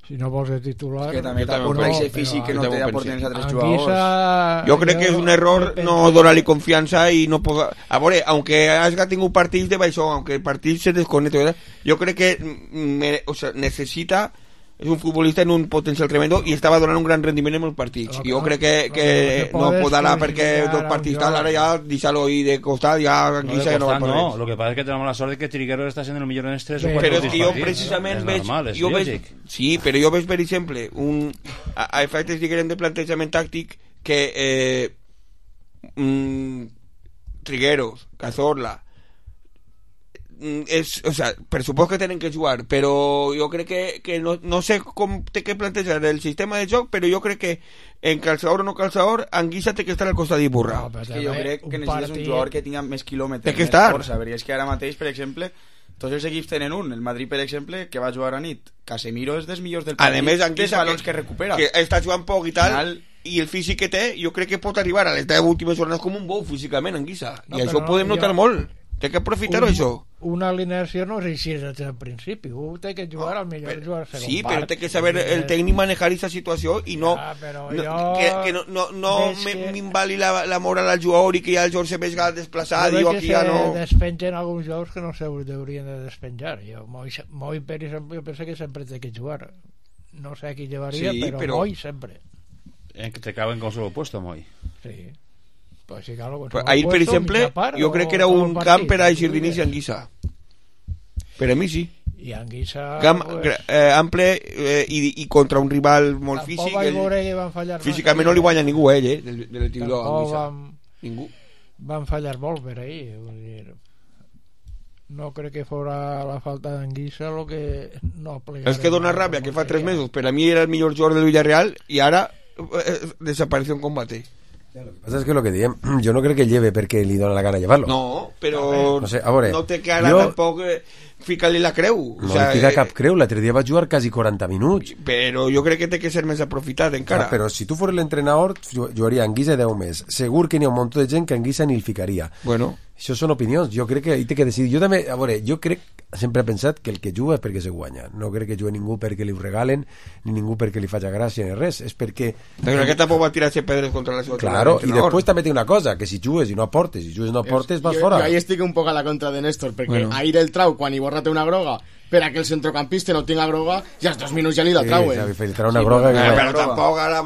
Si no vols de titular... És que també té un parell físic que no té d'aportar els altres jugadors. Jo crec que és un error no donar-li confiança i no poder... A veure, aunque hagi tingut partits de baixó, aunque el partit se desconecta, jo crec que me, o sea, necessita... És un futbolista en un potencial tremendo i estava donant un gran rendiment en els partits. I jo crec que, que no pot anar perquè dos partits tal, ara ja deixar-lo ahí de costat, ja aquí no, ja no va per res. No, lo que passa és que tenemos la sort de que Trigueros està sent el millor en els tres o quatre però partits. jo precisament no? veig... Normal, jo veig sí, però jo veig, per exemple, un, a, a efectes diguem de plantejament tàctic que eh, mm, Trigueros, Cazorla, és, o sea, per supost que tenen que jugar, però jo crec que, que no, no sé com té que plantejar el sistema de joc, però jo crec que en calçador o no calçador Anguissa té que estar al costat d'Iborra. No, és que jo crec que necessites un jugador que tinga més quilòmetres, té que més estar. força, perquè és que ara mateix, per exemple, tots els equips tenen un. El Madrid, per exemple, que va jugar a nit, Casemiro és dels millors del partit, a més, Anguissa, balons que, que recupera, que està jugant poc i tal, Final... i el físic que té, jo crec que pot arribar a les deu últimes jornades com un bou físicament, Anguissa, no, i això ho podem notar jo... molt. Té que aprofitar-ho, això. Una alineació no és així des del principi. U té que jugar al millor però, jugar segon sí, part. però té que saber el tècnic manejar aquesta situació i no, ah, no jo... que, que no, no, no m'invali que... la, la moral al jugador i que ja el jugador se vegi desplaçat i jo aquí ja no... despengen alguns jugadors que no se deurien de despenjar. Jo, Moi, Moi per exemple, jo penso que sempre té que jugar. No sé a qui llevaria, sí, però, però Moi sempre. En que te caben con solo puesto, Moi. Sí. Pues sí, claro, pues pues ahir, per exemple, jo crec que era un camp per a eixir d'inici Anguissa. Per a mi sí. I Anguissa... Camp pues... eh, ample eh, i, i contra un rival molt físic. Ell, físicament no li guanya ningú a ell, eh, del, del titular Anguissa. Van, ningú. Van fallar molt per ahir. Vull dir, no crec que fora la falta d'Anguissa lo que no plegaré. És que dona ràbia que fa tres mesos per a mi era el millor jugador del Villarreal i ara eh, desapareció en combate. Lo que pasa es que lo que diem, yo no creo que lleve porque li dona la gana llevarlo. No, però no, sé, a veure, no té que ara jo... tampoc eh, ficar-li la creu. No o sea, li fica eh, cap creu, l'altre dia va jugar quasi quaranta minuts. Però jo crec que té que ser més aprofitat encara. Ah, però si tu fos l'entrenador, jugaria Anguissa deu més. Segur que n'hi ha un munt de gent que Anguissa ni el ficaria. Bueno. Això són opinions, jo crec que hi té que decidir. Jo també, a veure, jo crec, sempre he pensat que el que juga és perquè se guanya. No crec que jugui ningú perquè li ho regalen, ni ningú perquè li faci gràcia ni res. És perquè... Però aquest tampoc va tirar-se pedres contra la seva... Claro, i després també té una cosa, que si jugues i no aportes, si jugues i no aportes, vas jo, fora. Jo ahí estic un poc a la contra de Néstor, perquè bueno. ahir el trau, quan Iborra té una groga, per a que el centrocampista no tinga groga, ja als dos minuts ja li la trauen. Sí, li trau una groga... Sí, que... però tampoc ara...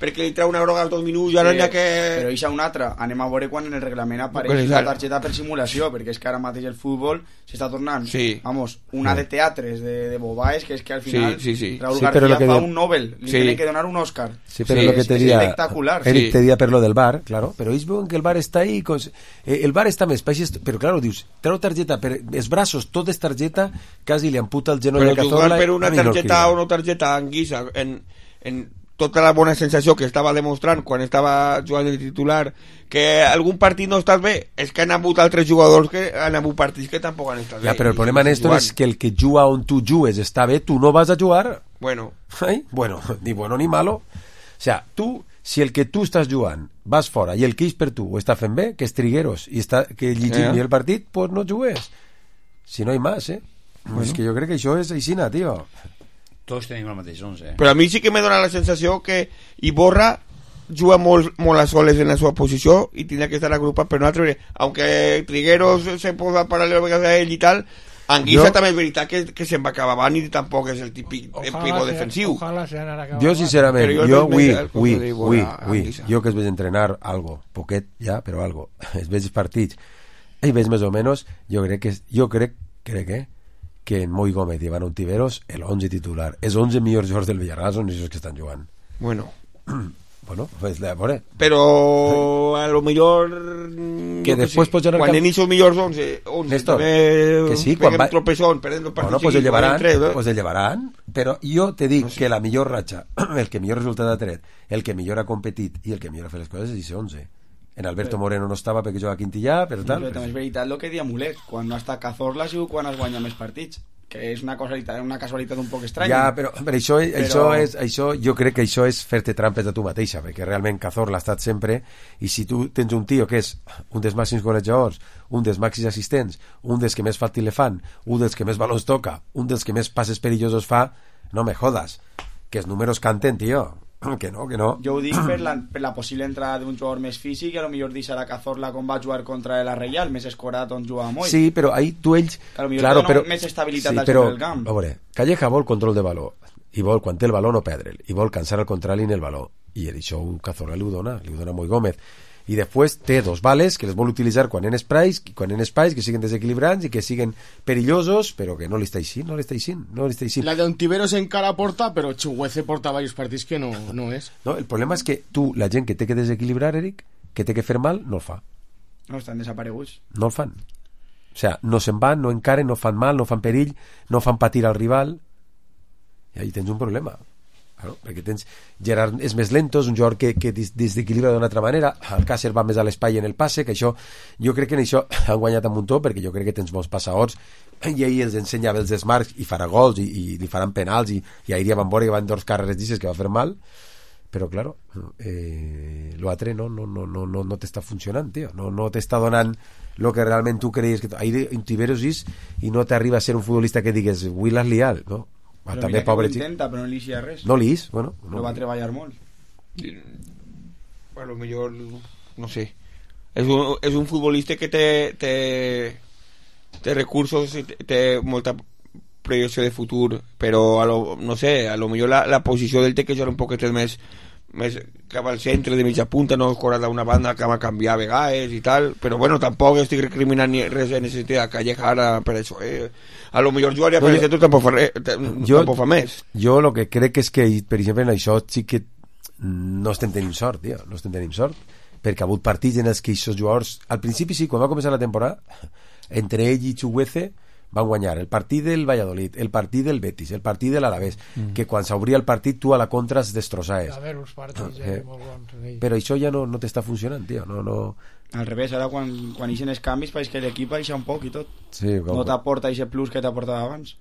perquè li trau una groga als dos minuts i ara sí, n'hi ha que... Però eixa una altra, anem a veure quan en el reglament apareix la targeta per simulació, perquè és que ara mateix el futbol s'està tornant, sí. vamos, una de teatres, de, de bobaes, que és que al final sí, sí, sí. Raúl sí, García que fa de... un Nobel, li sí. tienen que donar un Oscar. Sí, pero sí, lo que te es diría, espectacular. Eric sí. te diría per lo del bar, claro, pero ells veuen que el bar està ahí, con... eh, el bar està més paixes, però claro, dius, treu targeta, per els braços, tot és targeta, quasi li amputa el genoll de Cazorla. Però per una targeta o no targeta Anguissa, en, en tota la bona sensació que estava demostrant quan estava jugant de titular, que algun partit no estàs bé, és que han hagut altres jugadors que han hagut partits que tampoc han estat bé. Ja, però el problema, Néstor, és que el que juga on tu jugues està bé, tu no vas a jugar. Bueno. Ai? Bueno, ni bueno ni malo. O sea, tu, si el que tu estàs jugant vas fora i el que és per tu ho està fent bé, que és Trigueros, i està, que llegim eh. el partit, pues no jugues. Si no hi més, eh? Bueno. És que jo crec que això és aixina, tio. Tots tenim el mateix onze. Eh? Però a mi sí que me dona la sensació que Iborra juga molt, molt a soles en la seva posició i tindrà que estar agrupat per un altre. Aunque Trigueros se posa paral·lel a ell i tal, Anguissa jo... també és veritat que, que se'n va acabar avant i tampoc és el típic pivo defensiu. Jo sincerament, jo, jo ui, ui, ui, ui, jo que es veig entrenar algo, poquet ja, però algo, es veig partits i veig més o menys, jo crec que jo crec, crec eh, que en Moi Gómez i Iván Ontiveros el onze titular. Els onze millors jugadors del Villarreal són els que estan jugant. Bueno. Bueno, pues a veure. Però a lo millor que després pots anar quan camp... en esos millors onze, onze Néstor, també que sí, peguen quan va... tropezón, perden el partit. Bueno, pues el llevaran, tres, eh? pues el llevaran, però jo te dic no sé. Que la millor ratxa, el que millor resultat ha tret, el que millor ha competit i el que millor ha fet les coses és ese onze. En Alberto Moreno no estava perquè jugava a Quintillà, però tal. Però també és veritat el que dia Mulet, quan no està Cazorla ha sigut quan es guanya més partits, que és una casualitat, una casualitat un poc estranya. Ja, però, però, això, però... Això és, això, jo crec que això és fer-te trampes a tu mateixa, perquè realment Cazorla ha estat sempre, i si tu tens un tio que és un dels màxims golejadors, un dels màxims assistents, un dels que més fàcil le fan, un dels que més balons toca, un dels que més passes perillosos fa, no me jodas, que els números canten, tio. Que no, que no. Jo ho dic per la, per la possible entrada d'un jugador més físic i a lo millor deixarà Cazorla com va jugar contra la Reial, més escorat on jugava Moll. Sí, però ahí tu ells... Que a lo millor claro, però, però, més estabilitat sí, al però, centre del camp. A veure, Calleja vol control de baló i vol, quan té el baló, no perdre'l, i vol cansar el contrari en el baló, i això Cazorla li ho dona, li ho dona Moi Gómez. I després té dos bales que les vol utilitzar quan en espais, quan en espais que siguen desequilibrants i que siguen perillosos, però que no li està així, no li està així, no li està així. La de Ontiveros encara porta, però Chuguece porta varios partits que no, no és. No, el problema és que tu, la gent que té que desequilibrar, Eric, que té que fer mal, no el fa. No, estan desapareguts. No el fan. O sea, no se'n van, no encaren, no fan mal, no fan perill, no fan patir al rival, i ahí tens un problema. Claro, perquè tens Gerard és més lento, és un jugador que, que desequilibra d'una altra manera, Alcácer va més a l'espai en el passe, que això, jo crec que en això han guanyat un muntó, perquè jo crec que tens molts passadors i ahir els ensenyava els desmarcs i farà gols i, i li faran penals i, i ahir ja van veure que van dos carreres d'isses que va fer mal, però claro eh, l'altre no, no, no, no, no, no t'està funcionant, tio, no, no t'està donant el que realment tu creies que ahir Ontiveros és i no t'arriba a ser un futbolista que digues avui l'has liat, no? Però també mira pobre que ho intenta, però no li ixia res. No li ix, bueno. No. Però va treballar molt. A lo millor, no sé. És un, és un futbolista que té, té, té recursos i té, té molta projecció de futur, però a lo, no sé, a lo millor la, la posició del té que jugar un poquet més més cap al centre de mitja punta, no escorar d'una banda que va canviar a vegades i tal, però bueno, tampoc estic recriminant ni res en aquest sentit a Calleja ara per això, eh? A lo millor jugaria no, per el centre tampoc fa, res, jo, tampoc fa més. Jo el que crec és que, per exemple, en això sí que no estem tenint sort, tio, no estem tenint sort, perquè ha hagut partits en els que aquests jugadors, al principi sí, quan va començar la temporada, entre ell i Chuguece van guanyar el partit del Valladolid, el partit del Betis, el partit de l'Alavés, mm. que quan s'obria el partit tu a la contra es destrossaves. A veure, els partits eh, molt bons. Sí. Però això ja no, no t'està funcionant, tio. No, no... Al revés, ara quan, quan ixen els canvis pareix que l'equip baixa un poc i tot. Sí, com... No t'aporta aquest plus que t'aportava abans.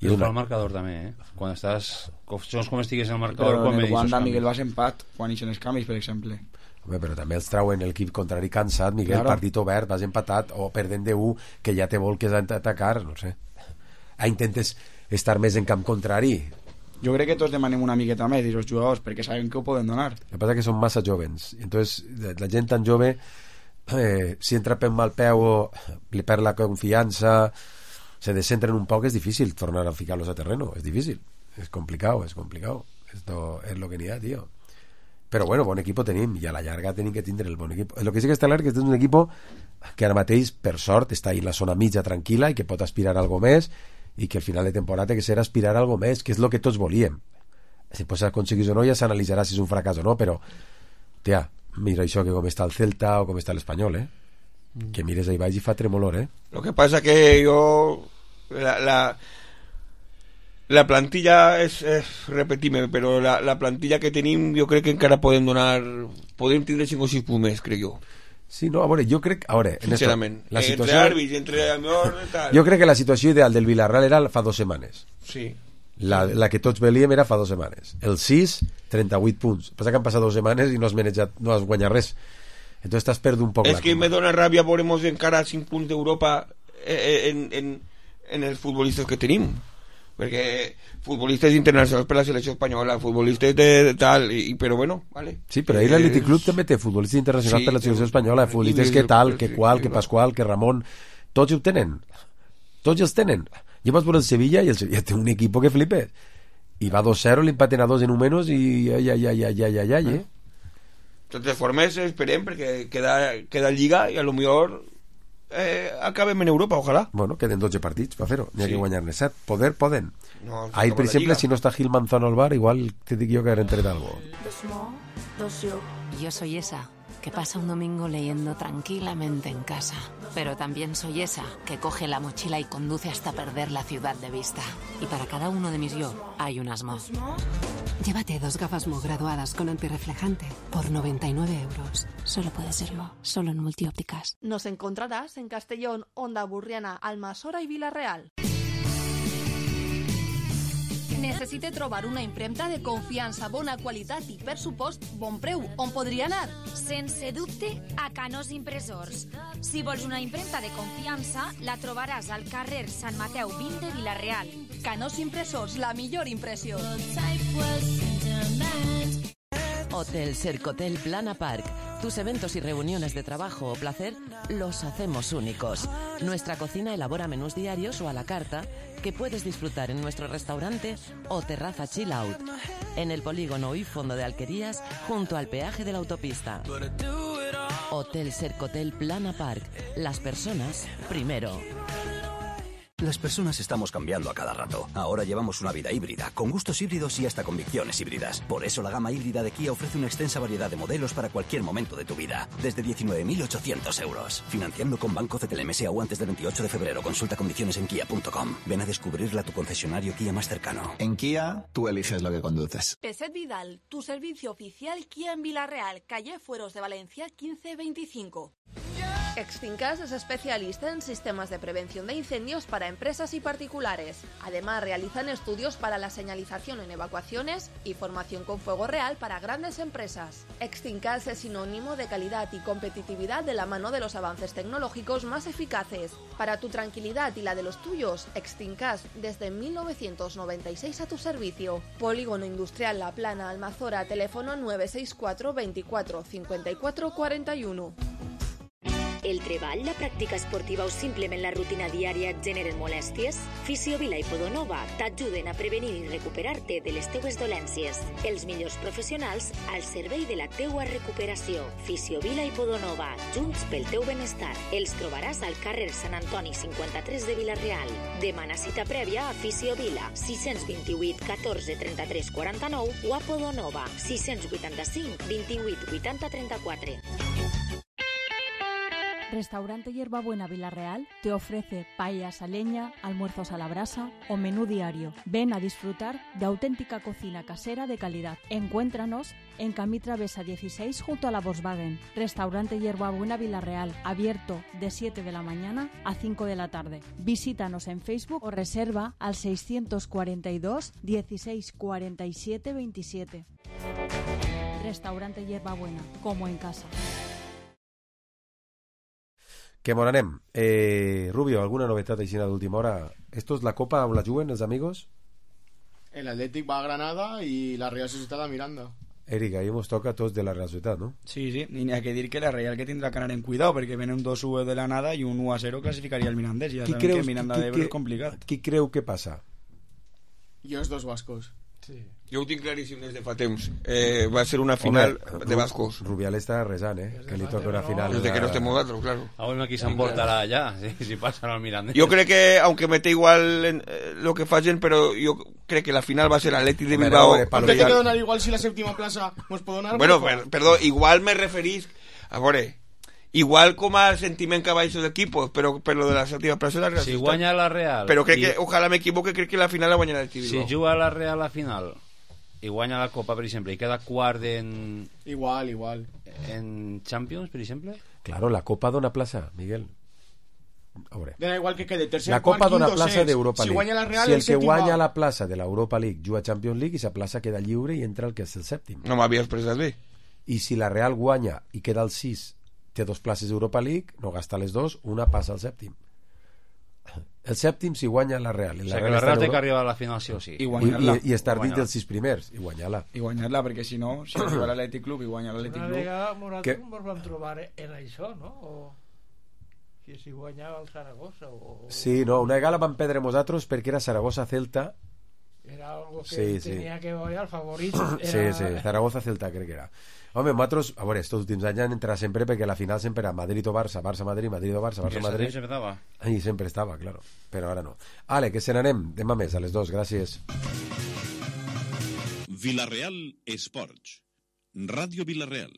I una... el marcador també, eh? Quan estàs... Segons com estigues en el marcador... Però en el Wanda Miguel vas empat quan ixen els canvis, per exemple. Home, però també els trauen l'equip contrari cansat, Miguel, claro. Partit obert, vas empatat o perdent de u, que ja te vol que has d'atacar, no sé. Ah, intentes estar més en camp contrari. Jo crec que tots demanem una miqueta més d'aquests jugadors perquè sabem que ho poden donar. El que passa que són massa jovens, entonces la gent tan jove eh, si entra per mal peu o li perd la confiança, se descentren un poc, és difícil tornar a ficar-los a terreno, és difícil, és complicat, és complicat. Esto es lo que n'hi ha, tio. Però bueno, bon equip tenim i a la llarga tenim que tindre el bon equip. El que sí que està clar que és un equip que ara mateix, per sort, està en la zona mitja tranquil·la i que pot aspirar a algo més i que al final de temporada que serà aspirar a algo més, que és el que tots volíem. Si pots aconseguir o no ja s'analitzarà si és un fracàs o no, però tia, mira això que com està el Celta o com està l'Espanyol, eh? Mm. Que mires ahí baix i fa tremolor, eh? Lo que pasa que yo la, la la plantilla és, és repetir-me, però la, la plantilla que tenim jo crec que encara podem donar podem tindre cinc o sis punts més, crec jo. Sí, no, a veure, jo crec... A veure, sincerament, la situació, entre àrbits, entre amor i tal... Jo crec que la situació ideal del Villarreal era fa dues setmanes. Sí. La, la que tots veiem era fa dues setmanes. El sis, trenta-vuit punts. Passa que han passat dues setmanes i no has manejat, no has guanyat res. Entonces t'has perdut un poc és la que coma. me dona ràbia veuremos encara cinc punts d'Europa en, en, en els futbolistes que tenim, perquè futbolistes internacionals per la selecció espanyola, futbolistes de, de tal, i, però bueno, vale. Sí, però ahir l'Atlètic Club també té futbolistes internacionals sí, per la selecció espanyola, futbolistes que tal, que qual, que Pascual, que Ramon, tots ho tenen, tots els tenen. Jo vaig veure el Sevilla i el Sevilla té un equip que flipes, i va dos cero, l'empaten a dos en un menys i ja, ja, ja, ja, ja, ja, ja, ja. De totes formes esperem perquè queda, queda lliga i a lo millor eh, acabem en Europa, ojalà. Bueno, queden dotze partits per fer-ho, n'hi ha Sí. que guanyar-ne set. Poder, poden. No, Ahir, per la exemple, Lliga. si no està Gil Manzano al bar, igual te dic jo que habré entret algo. Yo soy esa que pasa un domingo leyendo tranquilamente en casa. Pero también soy esa que coge la mochila y conduce hasta perder la ciudad de vista. Y para cada uno de mis yo hay un Asmo. Llévate dos gafas Mo graduadas con antirreflejante por noventa y nueve euros. Solo puede ser Mo, solo en multiópticas. Nos encontrarás en Castellón, Onda Burriana, Almassora i Vila-real. Necessite trobar una impremta de confiança, bona qualitat i, per supost, bon preu. On podria anar? Sense dubte, a Canós Impressors. Si vols una impremta de confiança, la trobaràs al carrer Sant Mateu vint de Vila-real. Canós Impressors, la millor impressió. Hotel Sercotel Plana Park. Tus eventos y reuniones de trabajo o placer los hacemos únicos. Nuestra cocina elabora menús diarios o a la carta que puedes disfrutar en nuestro restaurante o terraza chill out. En el polígono y fondo de Alquerías, junto al peaje de la autopista. Hotel Sercotel Plana Park. Las personas primero. Las personas estamos cambiando a cada rato. Ahora llevamos una vida híbrida, con gustos híbridos y hasta convicciones híbridas. Por eso la gama híbrida de Kia ofrece una extensa variedad de modelos para cualquier momento de tu vida. Desde diecinueve mil ochocientos euros. Financiando con Banco C T L M S A U antes del veintiocho de febrero. Consulta condiciones en kia punto com. Ven a descubrirla a tu concesionario Kia más cercano. En Kia, tú eliges lo que conduces. Peset Vidal, tu servicio oficial Kia en Vila-real, calle Fueros de Valencia quince veinticinco. Extincas es especialista en sistemas de prevención de incendios para empresas y particulares. Además, realizan estudios para la señalización en evacuaciones y formación con fuego real para grandes empresas. Extincas es sinónimo de calidad y competitividad de la mano de los avances tecnológicos más eficaces. Para tu tranquilidad y la de los tuyos, Extincas desde mil novecientos noventa y seis a tu servicio. Polígono Industrial La Plana, Almazora, teléfono nueve seis cuatro veinticuatro cincuenta y cuatro cuarenta y uno. El treball, la pràctica esportiva o simplement la rutina diària et generen molèsties? Fisiovila i Podonova t'ajuden a prevenir i recuperar-te de les teues dolències. Els millors professionals al servei de la teua recuperació. Fisiovila i Podonova, junts pel teu benestar. Els trobaràs al carrer Sant Antoni cinquanta-tres de Vila-real. Demana cita prèvia a Fisiovila, sis dos vuit catorze trenta-tres quaranta-nou o a Podonova, sis vuitanta-cinc vint-i-vuit vuitanta trenta-quatre. Restaurante Hierbabuena Vila-real te ofrece paellas a leña, almuerzos a la brasa o menú diario. Ven a disfrutar de auténtica cocina casera de calidad. Encuéntranos en Camí Travesa dieciséis junto a la Volkswagen. Restaurante Hierbabuena Vila-real, abierto de siete de la mañana a cinco de la tarde. Visítanos en Facebook o reserva al seiscientos cuarenta y dos dieciséis cuarenta y siete veintisiete. Restaurante Hierbabuena, como en casa. Que mon anem. Eh, Rubio, alguna novetat així d'última hora? Esto es la Copa on la juguen els amigos? El Athletic va a Granada y la Real Sociedad a Miranda. Eric, ahí nos toca a tots de la Real Societat, ¿no? Sí, sí, y ni hay que decir que la Real que tendrá que ganar en cuidado, porque viene un dos uno de la nada y un uno a cero clasificaría el Mirandés. Ya saben que Miranda de Ebro es complicado. Qui creu que passa? Jo els dos vascos. Sí. Jo ho tinc claríssim des de fa temps. Eh, va ser una final Home, de vascos. Rubial està resant, eh? Que li toca una final. Desde que no estem nosaltres, claro. Ah, bueno, aquí s'emportarà ya, si, si pasan al Mirandés. Yo creo que, aunque mete igual en, eh, lo que fallen, pero yo creo que la final va a ser Atleti de Bilbao. ¿Por qué te queda donar igual si la séptima plaza nos puede donar? Bueno, per, perdó, igual me referís... A veure, igual com a sentiment que baixo d'equipos, però per lo de la sèptima plaça la Real. Si guanya la Real... Però crec i... que, ojalà m'equivoque, crec que la final la guanyarà el Bilbao. Si juga la Real a la final i guanya la Copa, per exemple, i queda quart en... Igual, igual. En Champions, per exemple? Claro, la Copa dona plaça, Miguel. A veure. Da igual que quede tercer, la Copa quart, dona quinto, plaça d'Europa si League. Guanya la Real, si el, el que guanya va... la plaça de l'Europa League juga a Champions League i sa plaça queda lliure i entra el que és el sèptim. No m'havia expressat bé. I si la Real guanya i queda el sis, té dos places d'Europa League, no gasta les dos, una passa al sèptim. El sèptim si guanya la Real. La o sigui, que la Real té que arribar a la final sí o sí. I, I, i estar dins dels sis primers, i guanyar-la. I guanyar-la, perquè si no, si arriba l'Atlètic Club i guanya l'Atlètic Club... Una vegada nosaltres que... ens vam trobar en això, no? O... que si guanyava el Saragossa o... Sí, no, una vegada vam perdre nosaltres perquè era Saragossa-Celta era algo que Sí, sí. tenía que ver, el favorit Sí, era... sí, Zaragoza-Celta crec que era. Home, nosaltres, a veure, estos últims anys han entrat sempre perquè la final sempre era Madrid o Barça, Barça-Madrid, Madrid o Barça, Barça-Madrid. I sempre estava. I sempre estava, claro, però ara no. Ale, que se n'anem, demà més, a les dos, gràcies. Vilareal Esports. Ràdio Vilareal.